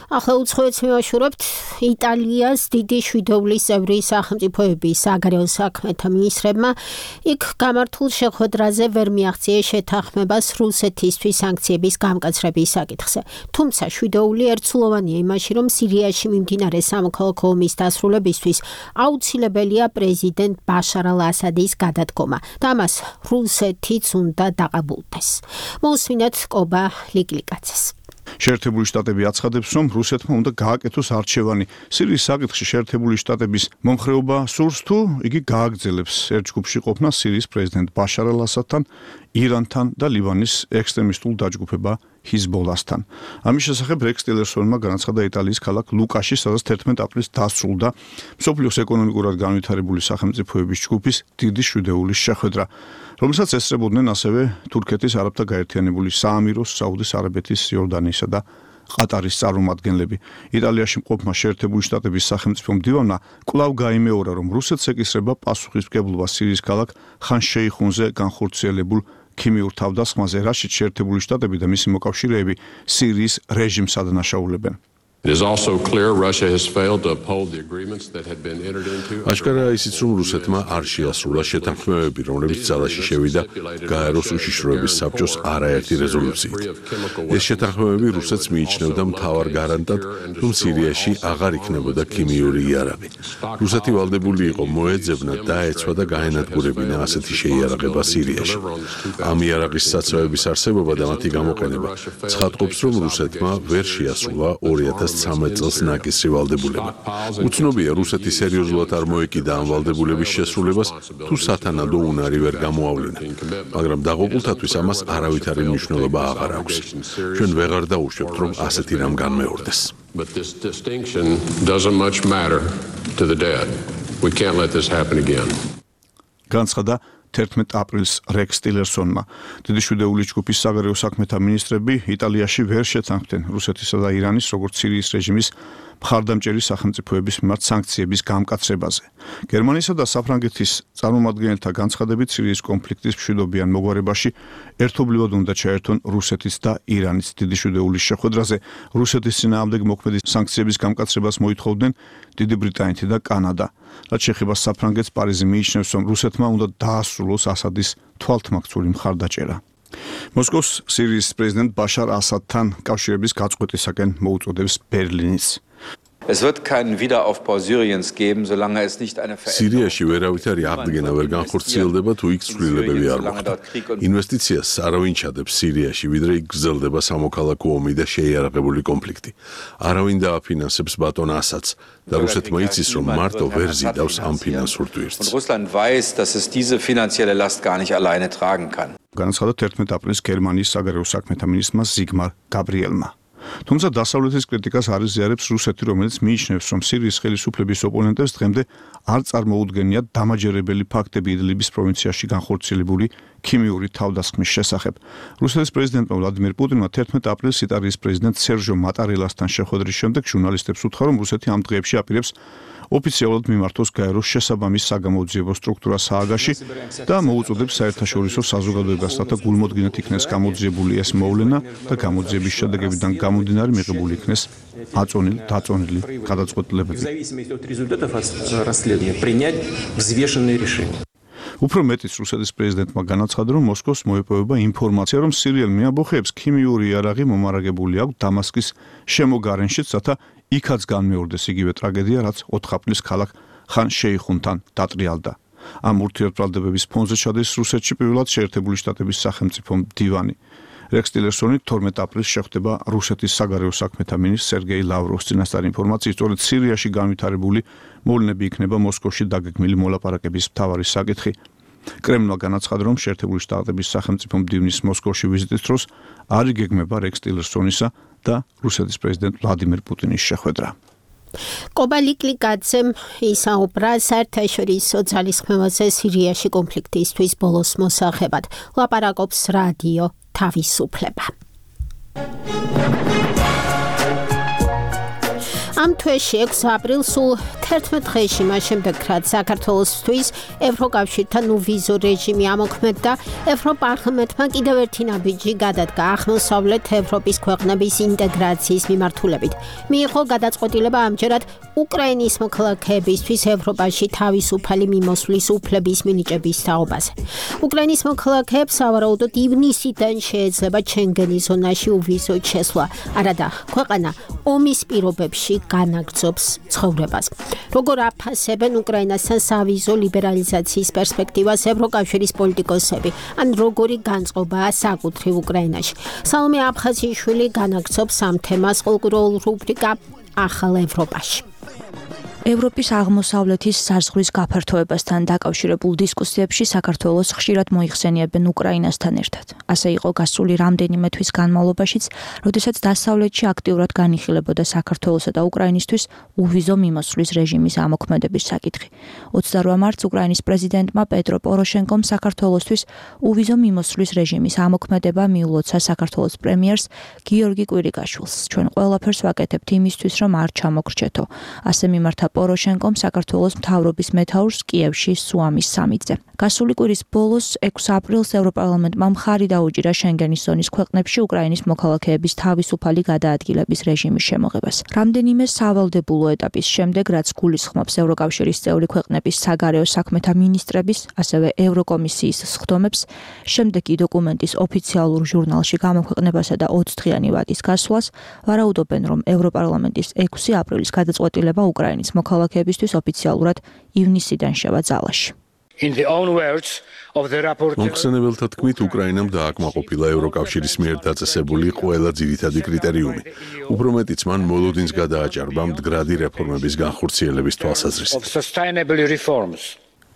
ახლა უცხოეთს მივაშურებთ იტალიას დიდი შვიდობის წევრი სახელმწიფოების საგარეო საქმეთა მინისტრებმა იქ გამართულ შეხვედრაზე ვერ მიაღწიეს შეთანხმებას რუსეთისთვის სანქციების გამკაცრების საკითხზე. თუმცა შვიდობული ერთსულოვანია იმაში, რომ სირიაში მიმდინარე სამოქალაქო ომის დასრულებისთვის აუცილებელია პრეზიდენტ ბაშარ ალ-ასადის გადადგომა და ამას რუსეთიც უნდა დაყაბულდეს. მოსვინეთ კობა ლიკლიკაძეს. შეერთებული შტატები აცხადებს, რომ რუსეთმა უნდა გააკეთოს არჩევანი სირიის საკითხში. შეერთებული შტატების მომხრეობა სურს თუ იგი გააგრძელებს ერთ ჯგუფში ყოფნა სირიის პრეზიდენტ ბაშარ ალ-ასადთან, ირანთან და ლიბანის ექსტრემისტულ დაჯგუფება ჰიზბოლასთან. ამის შესახებ რექს ტილერსონმა განაცხადა იტალიის ქალაქ ლუკაში, სადაც თერთმეტ აპრილს დასრულდა მსოფლიოს ეკონომიკურად განვითარებული სახელმწიფოების ჯგუფის დიდი შვიდეულის შეხვედრა, რომელსაც ესწრებოდნენ ასევე თურქეთის არაბთა გაერთიანებული საამიროს, საუდის არაბეთის, იორდანიისა და ყატარის წარმომადგენლები. იტალიაში მყოფმა შეერთებული შტატების სახელმწიფო მდივანმა კვლავ გაიმეორა, რომ რუსეთს ეკისრება პასუხისმგებლობა სირიის ქალაქ ხან-შეიხუნზე განხორციელებულ ქიმიურ თავდასხმაზე, რაშიც შეერთებული შტატები და მისი მოკავშირეები სირიის რეჟიმს ადანაშაულებენ. It is also clear Russia has failed to uphold the agreements that had been entered into. აშკარაა ისიც, რომ რუსეთმა არ შეასრულა შეთანხმებები, რომლებიც ძალაში შევიდა გაეროს უშიშროების საბჭოს არაერთი რეზოლუციით. ეს შეთანხმებები რუსეთს მიიჩნევდა მთავარ გარანტად, რომ სირიაში აღარ იქნებოდა ქიმიური იარაღი. რუსეთი ვალდებული იყო მოეძებნა, დაეცვა და გაენადგურებინა ასეთი შეიარაღება სირიაში. ამ იარაღის საცავების არსებობა და მათი გამოყენება ცხადყოფს, რომ რუსეთმა ვერ შეასრულა ორი ათას ცხრამეტ წელს ნაკისრი ვალდებულება. უცნობია, რუსეთი სერიოზულად არ მოეკიდა ამ ვალდებულების შესრულებას, თუ სათანადო უნარი ვერ გამოავლინა. მაგრამ დაღუპულთათვის ამას არავითარი მნიშვნელობა აღარ აქვს. ჩვენ ვეღარ დაუშვებთ, რომ ასეთი რამ განმეორდეს. But this distinction doesn't much matter to the dead. We can't let this happen again. განცხადა თერთმეტ აპრილს რექს ტილერსონმა. დიდი შვიდეული ჯგუფის საგარეო საქმეთა მინისტრები იტალიაში ვერ შეთანხმდნენ რუსეთისა და ირანის, როგორც სირიის რეჟიმის მხარდამჭერი სახელმწიფოების მიმართ სანქციების გამკაცრებაზე. გერმანიისა და საფრანგეთის წარმომადგენელთა განცხადებით სირიის კონფლიქტის მშვიდობიან მოგვარებაში ერთობლივად უნდა ჩაერთონ რუსეთის და ირანის. დიდი შვიდეულის შეხვედრაზე რუსეთის წინააღმდეგ მოქმედი სანქციების გამკაცრებას მოითხოვდნენ დიდი ბრიტანეთი და კანადა. რაც შეეხება საფრანგეთს, პარიზი მიიჩნევს, რომ რუსეთმა უნდა დაასრულოს ასადის თვალთმაქცური მხარდაჭერა. მოსკოვს სირიის პრეზიდენტ ბაშარ ასადთან კავშირების გაწყვეტისაკენ მოუწოდებს ბერლინიც. Es wird keinen Wiederaufbau Syriens geben, solange es nicht eine სირიაში ვერავითარი აღდგენა ვერ განხორციელდება, თუ იქ ცვლილებები არ მოხდა. ინვესტიციას არავინ ჩადებს სირიაში, ვიდრე იქ გრძელდება სამოქალაქო ომი და შეიარაღებული კონფლიქტი. არავინ დააფინანსებს ბატონ ასადს და რუსეთმა იცის, რომ მარტო ვერ ზიდავს ამ ფინანსურ ტვირთს. Und Russland weiß, dass es diese finanzielle Last gar nicht alleine tragen kann. განაცხადა თერთმეტ აპრილს გერმანიის საგარეო საქმეთა მინისტრმა ზიგმარ გაბრიელმა. თუმცა დასავლეთის კრიტიკას არ იზიარებს რუსეთი, რომელიც მიიჩნევს, რომ სირიის ხელისუფლების ოპონენტებს დღემდე არ წარმოუდგენიათ დამაჯერებელი ფაქტები იდლიბის პროვინციაში განხორციელებული ქიმიური თავდასხმის შესახებ. რუსეთის პრეზიდენტმა ვლადიმერ პუტინმა თერთმეტ აპრილს იტალიის პრეზიდენტ სერჟო მატარელასთან შეხვედრის შემდეგ ჟურნალისტებს უთხრა, რომ რუსეთი ამ დღეებში აპირებს ოფიციალურად მიმართოს გაეროს შესაბამის საგამოძიებო სტრუქტურა სააგაში და მოუწოდებს საერთაშორისო საზოგადოებას, რათა გულმოდგინედ იქნეს გამოძიებული ეს მოვლენა და გამოძიების შედეგებიდან გამომდინარე მიღებული იქნეს აწონილი დაწონილი გადაწყვეტილებები. უფრო მეტიც რუსეთის პრეზიდენტმა განაცხადა, რომ მოსკოვს მოეპოვება ინფორმაცია, რომ სირიელ მეამბოხეებს ქიმიური იარაღი მომარაგებული აქვს დამასკის შემოგარენშიც, რათა იქაც განმეორდეს იგივე ტრაგედია, რაც ოთხ აპრილს ქალაქ ხან შეიხუნთან დატრიალდა. ამ ურთიერთბრალდებების ფონზე ჩადის რუსეთში პირველად შეერთებული შტატების სახელმწიფო მდივანი. რექს ტილერსონი თორმეტ აპრილს შეხვდება რუსეთის საგარეო საქმეთა მინისტრ სერგეი ლავროვს. წინასწარ ინფორმაციით, სწორედ სირიაში განვითარებული მოვლენები იქნება მოსკოვში დაგეგმილი მოლაპარაკების მთავარი საკითხი. კრემლმა განაცხადა, რომ შეერთებული შტატების სახელმწიფო მდივნის მოსკოვში ვიზიტის დროს არ იგეგმება რექს ტილერსონისა და რუსეთის პრეზიდენტ ვლადიმერ პუტინის შეხვედრა. კობალიკლიკაცემ ისაუბრა საერთაშორისო ძალისხმევაზე სირიაში კონფლიქტისთვის ბოლოს მოსახებად. ლაპარაკობს რადიო თავისუფლება. ამ თვეში ექვსი აპრილს სულ თერთმეტ დღეში მას შემდეგ, რაც საქართველოსთვის ევროკავშირთან უვიზო რეჟიმი ამოქმედდა, ევროპარლამენტმა კიდევ ერთი ნაბიჯი გადადგა აღმოსავლეთ ევროპის ქვეყნების ინტეგრაციის მიმართულებით. მიიღო გადაწყვეტილება ამჯერად უკრაინის მოქალაქეებისთვის ევროპაში თავისუფალი მიმოსვლის უფლების მინიჭების თაობაზე. უკრაინის მოქალაქეებს სავარაუდოდ ივნისიდან შეეძლება შენგენის ზონაში უვიზო შესვლა, არადა ქვეყანა ომის პირობებში განაგრძობს ცხოვრებას. როგორ აფასებენ უკრაინასთან სავიზო ლიბერალიზაციის პერსპექტივას ევროკავშირის პოლიტიკოსები, ან როგორი განწყობაა საკუთრივ უკრაინაში. სალომე აფხაზიშვილი განაგრძობს ამ თემას ყოლკურულ რუბრიკა ახალ ევროპაში. ევროპის აღმოსავლეთის საზღვრის გაფართოებასთან დაკავშირებულ დისკუსიებში საქართველოს ხშირად მოიხსენიებენ უკრაინასთან ერთად. ასე იყო გასული რამდენიმე თვის განმავლობაშიც, როდესაც დასავლეთში აქტიურად განიხილებოდა საქართველოსა და უკრაინისთვის უვიზო მიმოსვლის რეჟიმის ამოქმედების საკითხი. ოცდაოთხ მარტს უკრაინის პრეზიდენტმა პეტრო პოროშენკომ საქართველოსთვის უვიზო მიმოსვლის რეჟიმის ამოქმედება მიულოცა საქართველოს პრემიერს გიორგი კვირიკაშვილს. ჩვენ ყველაფერს ვაკეთებთ იმისთვის, რომ არ ჩამოგრჩეთო. ასე მიმართა პოროშენკომ საქართველოს მთავრობის მეთაურს კიევში სუამის სამიტზე. გასული კვირის ბოლოს ექვსი აპრილს ევროპარლამენტმა მხარი დაუჭირა შენგენის ზონის ქვეყნებში უკრაინის მოქალაქეების თავისუფალი გადაადგილების რეჟიმის შემოღებას. რამდენიმე სავალდებულო ეტაპის შემდეგ, რაც გულისხმობს ევროკავშირის წევრი ქვეყნების საგარეო საქმეთა მინისტრების, ასევე ევროკომისიის სხდომებს, შემდეგი დოკუმენტის ოფიციალურ ჟურნალში გამოქვეყნებასა და ოცდღიანი ვადის გასვლას, ვარაუდობენ, რომ ევროპარლამენტის ექვსი აპრილის გადაწყვეტილება უკრაინის მოქალაქეებისთვის ოფიციალურად ივნისიდან შევა ძალაში. მომხსენებელთა თქმით, უკრაინამ დააკმაყოფილა ევროკავშირის მიერ დაწესებული ყველა ძირითადი კრიტერიუმი. უფრო მეტიც, მან მოლოდინს გადააჭარბა მდგრადი რეფორმების განხორციელების თვალსაზრისით.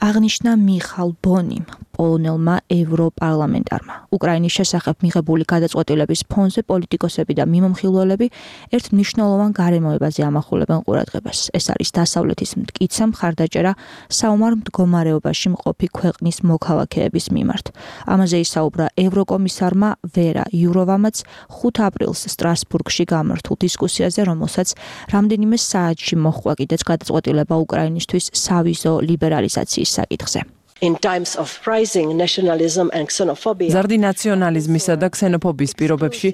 აღნიშნა მიხალ ბონიმ, პოლონელმა ევროპარლამენტარმა. უკრაინის შესახებ მიღებული გადაწყვეტილების ფონზე პოლიტიკოსები და მიმომხილველები ერთ მნიშვნელოვან გარემოებაზე ამახვილებენ ყურადღებას. ეს არის დასავლეთის მტკიცე მხარდაჭერა საომარ მდგომარეობაში მყოფი ქვეყნის მოქალაქეების მიმართ. ამაზე ისაუბრა ევროკომისარმა ვერა იუროვამაც ხუთი აპრილს სტრასბურგში გამართულ დისკუსიაზე, რომელსაც რამდენიმე საათში მოჰყვა კიდეც გადაწყვეტილება უკრაინისთვის სავიზო ლიბერალიზაციის საკითხზე. ზარდი ნაციონალიზმისა და ქსენოფობიის პირობებში,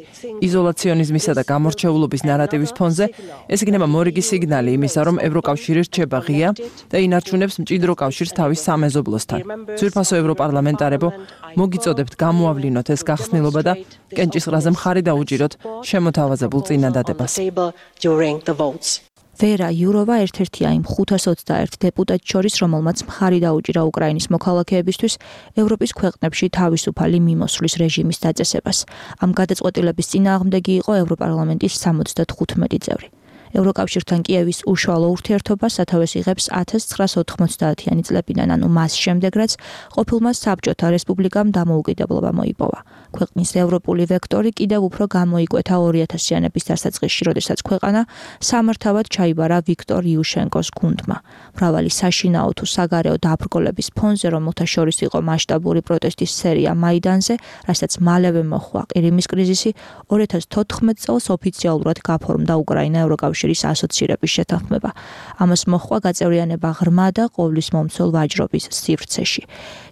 იზოლაციონიზმისა და გამორჩეულობის ნარატივის ფონზე, ეს იქნება მორიგი სიგნალი იმისა, რომ ევროკავშირი რჩება ღია და ინარჩუნებს მჭიდრო კავშირს თავის სამეზობლოსთან. ძვირფასო ევროპარლამენტარებო, მოგიწოდებთ გამოავლინოთ ეს გახსნილობა და კენჭისყრაზე მხარი დაუჭიროთ შემოთავაზებულ წინადადებას. ვერა იუროვა ერთ-ერთია იმ ხუთას ოცდაერთ დეპუტატს შორის, რომელმაც მხარი დაუჭირა უკრაინის მოქალაქეებისთვის ევროპის ქვეყნებში თავისუფალი მიმოსვლის რეჟიმის დაწესებას. ამ გადაწყვეტილების წინააღმდეგი იყო ევროპარლამენტის სამოცდათხუთმეტი წევრი. ევროკავშირთან კიევის უშუალო ურთიერთობა სათავეს იღებს ათას ცხრაას ოთხმოცდაათიანი წლებიდან, ანუ მას შემდეგ, რაც ყოფილმა საბჭოთა რესპუბლიკამ დამოუკიდებლობა მოიპოვა. ქვეყნის ევროპული ვექტორი კიდევ უფრო გამოიკვეთა ორი ათასიანების დასაწყისში, როდესაც ქვეყანა სამართავად ჩაიბარა ვიქტორ იუშენკოს გუნდმა. მრავალი საშინაო თუ საგარეო დაბრკოლების ფონზე, რომელთა შორის იყო მასშტაბური პროტესტის სერია მაიდანზე, რასაც მალევე მოჰყვა ყირიმის კრიზისი, ორი ათას თოთხმეტ წელს ოფიციალურად გაფორმდა უკრაინა ევროკავშირის ასოცირების შეთანხმება. ამას მოჰყვა გაწევრიანება ღრმა და ყოვლის მომცველ ვაჯრობის სივრცეში.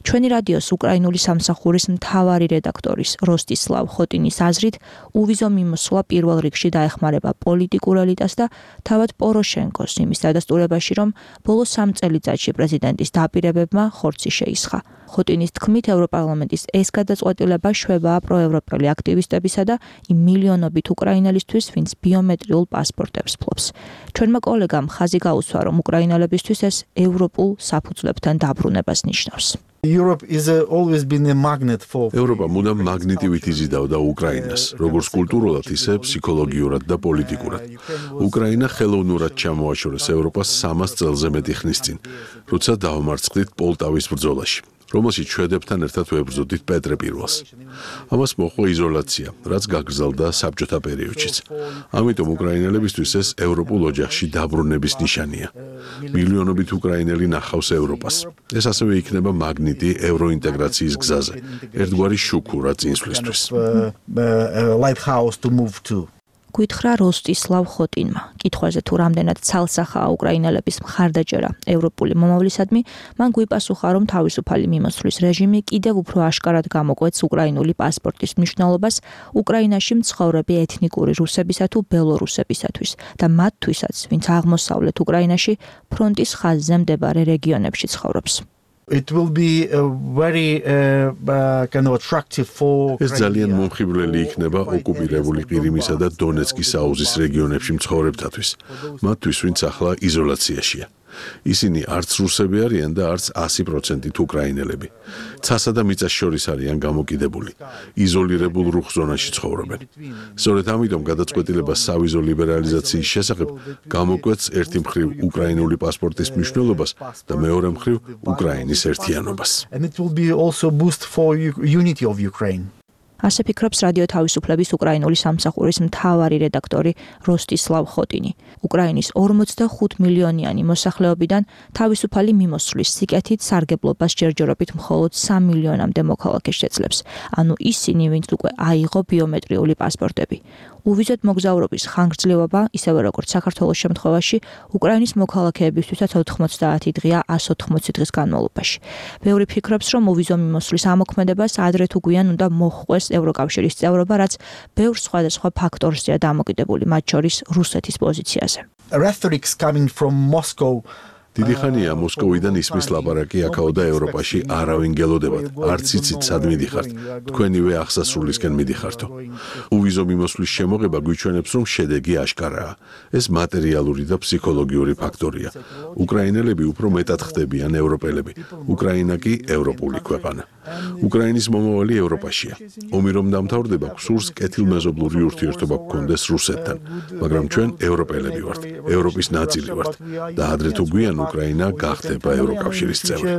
ჩვენი რადიოს უკრაინული სამსახურის მთავარი რედაქტორის როსტისლავ ხოტინის აზრით, უვიზო მიმოსვლა პირველ რიგში დაეხმარება პოლიტიკურ ელიტას და თავად პოროშენკოს იმის დადასტურებაში, რომ ბოლო სამ წელიწადში პრეზიდენტის დაპირებებმა ხორცი შეისხა. ხოტინის თქმით, ევროპარლამენტის ეს გადაწყვეტილება შვებაა პროევროპელი აქტივისტებისა და იმ მილიონობით უკრაინელისთვის, ვინც ბიომეტრიულ პასპორტებს ფლობს. ჩვენმა კოლეგამ ხაზი გაუსვა, რომ უკრაინელებისთვის ეს ევროპულ საფუძვლებთან დაბრუნებას ნიშნავს. ევროპა მუდამ მაგნიტივით იზიდავდა უკრაინას, როგორც კულტურულად, ისე ფსიქოლოგიურად და პოლიტიკურად. უკრაინა ხელოვნურად ჩამოაშორეს ევროპას სამას წელზე მეტი ხნის წინ, როცა დაამარცხდით პოლტავის ბრძოლაში, რომელშიც შვედებთან ერთად ვებრძოდით პეტრე პირველს. ამას მოჰყვა იზოლაცია, რაც გაგრძელდა საბჭოთა პერიოდშიც. ამიტომ უკრაინელებისთვის ეს ევროპულ ოჯახში დაბრუნების ნიშანია. მილიონობით უკრაინელი ნახავს ევროპას. ეს ასევე იქნება მაგნიტი ევროინტეგრაციის გზაზე, ერთგვარი შუქურა წინსვლისთვის. გითხრა როსტისლავ ხოტინმა. კითხვაზე თუ რამდენად ცალსახაა უკრაინელების მხარდაჭერა ევროპული მომავლისადმი, მან გვიპასუხა, რომ თავისუფალი მიმოსვლის რეჟიმი კიდევ უფრო აშკარად გამოკვეთს უკრაინული პასპორტის მნიშვნელობას უკრაინაში მცხოვრები ეთნიკური რუსებისა თუ ბელორუსებისათვის და მათთვისაც, ვინც აღმოსავლეთ უკრაინაში ფრონტის ხაზზე მდებარე რეგიონებში ცხოვრობს. It will be a very uh, uh, kind of attractive for ეს ძალიან მომხიბვლელი იქნება ოკუპირებული ყირიმისა და დონეცკის აუზის რეგიონებში მცხოვრებთათვის, მათთვის, ვინც ახლა იზოლაციაშია. ისინი არც რუსები არიან და არც ასი პროცენტით უკრაინელები. ცასა და მიწას შორის არიან გამოკიდებული. იზოლირებულ რუხ ზონაში ცხოვრობენ. სწორედ ამიტომ გადაწყვეტილება სავიზო ლიბერალიზაციის შესახებ გამოკვეთს ერთი მხრივ უკრაინული პასპორტის მნიშვნელობას და მეორე მხრივ უკრაინის ერთიანობას. And it will be also boost for unity of Ukraine. ასე ფიქრობს რადიო თავისუფლების უკრაინული სამსახურის მთავარი რედაქტორი როსტისლავ ხოტინი. უკრაინის ორმოცდახუთ მილიონიანი მოსახლეობიდან თავისუფალი მიმოსვლის სიკეთით სარგებლობას ჯერჯერობით მხოლოდ სამ მილიონამდე მოქალაქეს შეძლებს. ანუ ისინი, ვინც უკვე აიღო ბიომეტრიული პასპორტები. უვიზოდ მოგზაურობის ხანგრძლივობა, ისევე როგორც საქართველოს შემთხვევაში, უკრაინის მოქალაქეებისთვისაც ოთხმოცდაათი დღეა ას ოთხმოცი დღის განმავლობაში. ბევრი ფიქრობს, რომ უვიზო მიმოსვლის ამოქმედებას ადრე თუ გვიან უნდა მოჰყვეს ევროკავშირის წევრობა, რაც ბევრ სხვადასხვა ფაქტორზეა დამოკიდებული, მათ შორის რუსეთის პოზიციაზე. Rhetorics coming from Moscow დიდი ხანია მოსკოვიდან ისმის ლაპარაკი აქაო და ევროპაში არავინ გელოდებათ. არც იცით სად მიდიხართ. თქვენივე აღსასრულისკენ მიდიხართო. უვიზო მიმოსვლის შემოღება გვიჩვენებს, რომ შედეგი აშკარაა. ეს მატერიალური და ფსიქოლოგიური ფაქტორია. უკრაინელები უფრო მეტად ხდებიან ევროპელები. უკრაინა კი ევროპული ქვეყანა. უკრაინის მომავალი ევროპაშია. ომი რომ დამთავრდება, გსურს კეთილმეზობლური ურთიერთობა გქონდეს რუსეთთან, მაგრამ ჩვენ ევროპელები ვართ, ევროპის ნაწილი ვართ და ადრე თუ გვიან უკრაინა გახდება ევროკავშირის წევრი.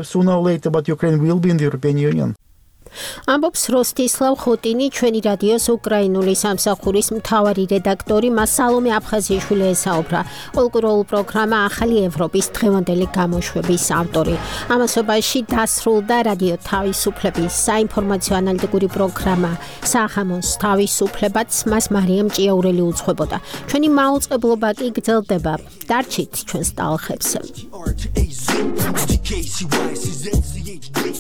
ამბობს როსტისლავ ხოტინი, ჩვენი რადიოს უკრაინული სამსახურის მთავარი რედაქტორი, მას სალომე აფხაზიშვილი ესაუბრა. კულტურულ პროგრამა ახალი ევროპის დღევანდელი გამოშვების ავტორი. ამასობაში დასრულდა რადიო თავისუფლების საინფორმაციო ანალიტიკური პროგრამა სახამოს თავისუფლებაც, მას მარიამ ჭიაურელი უძღვებოდა. ჩვენი მაუწყებლობა კი გრძელდება. დარჩით ჩვენს ტალღებზე.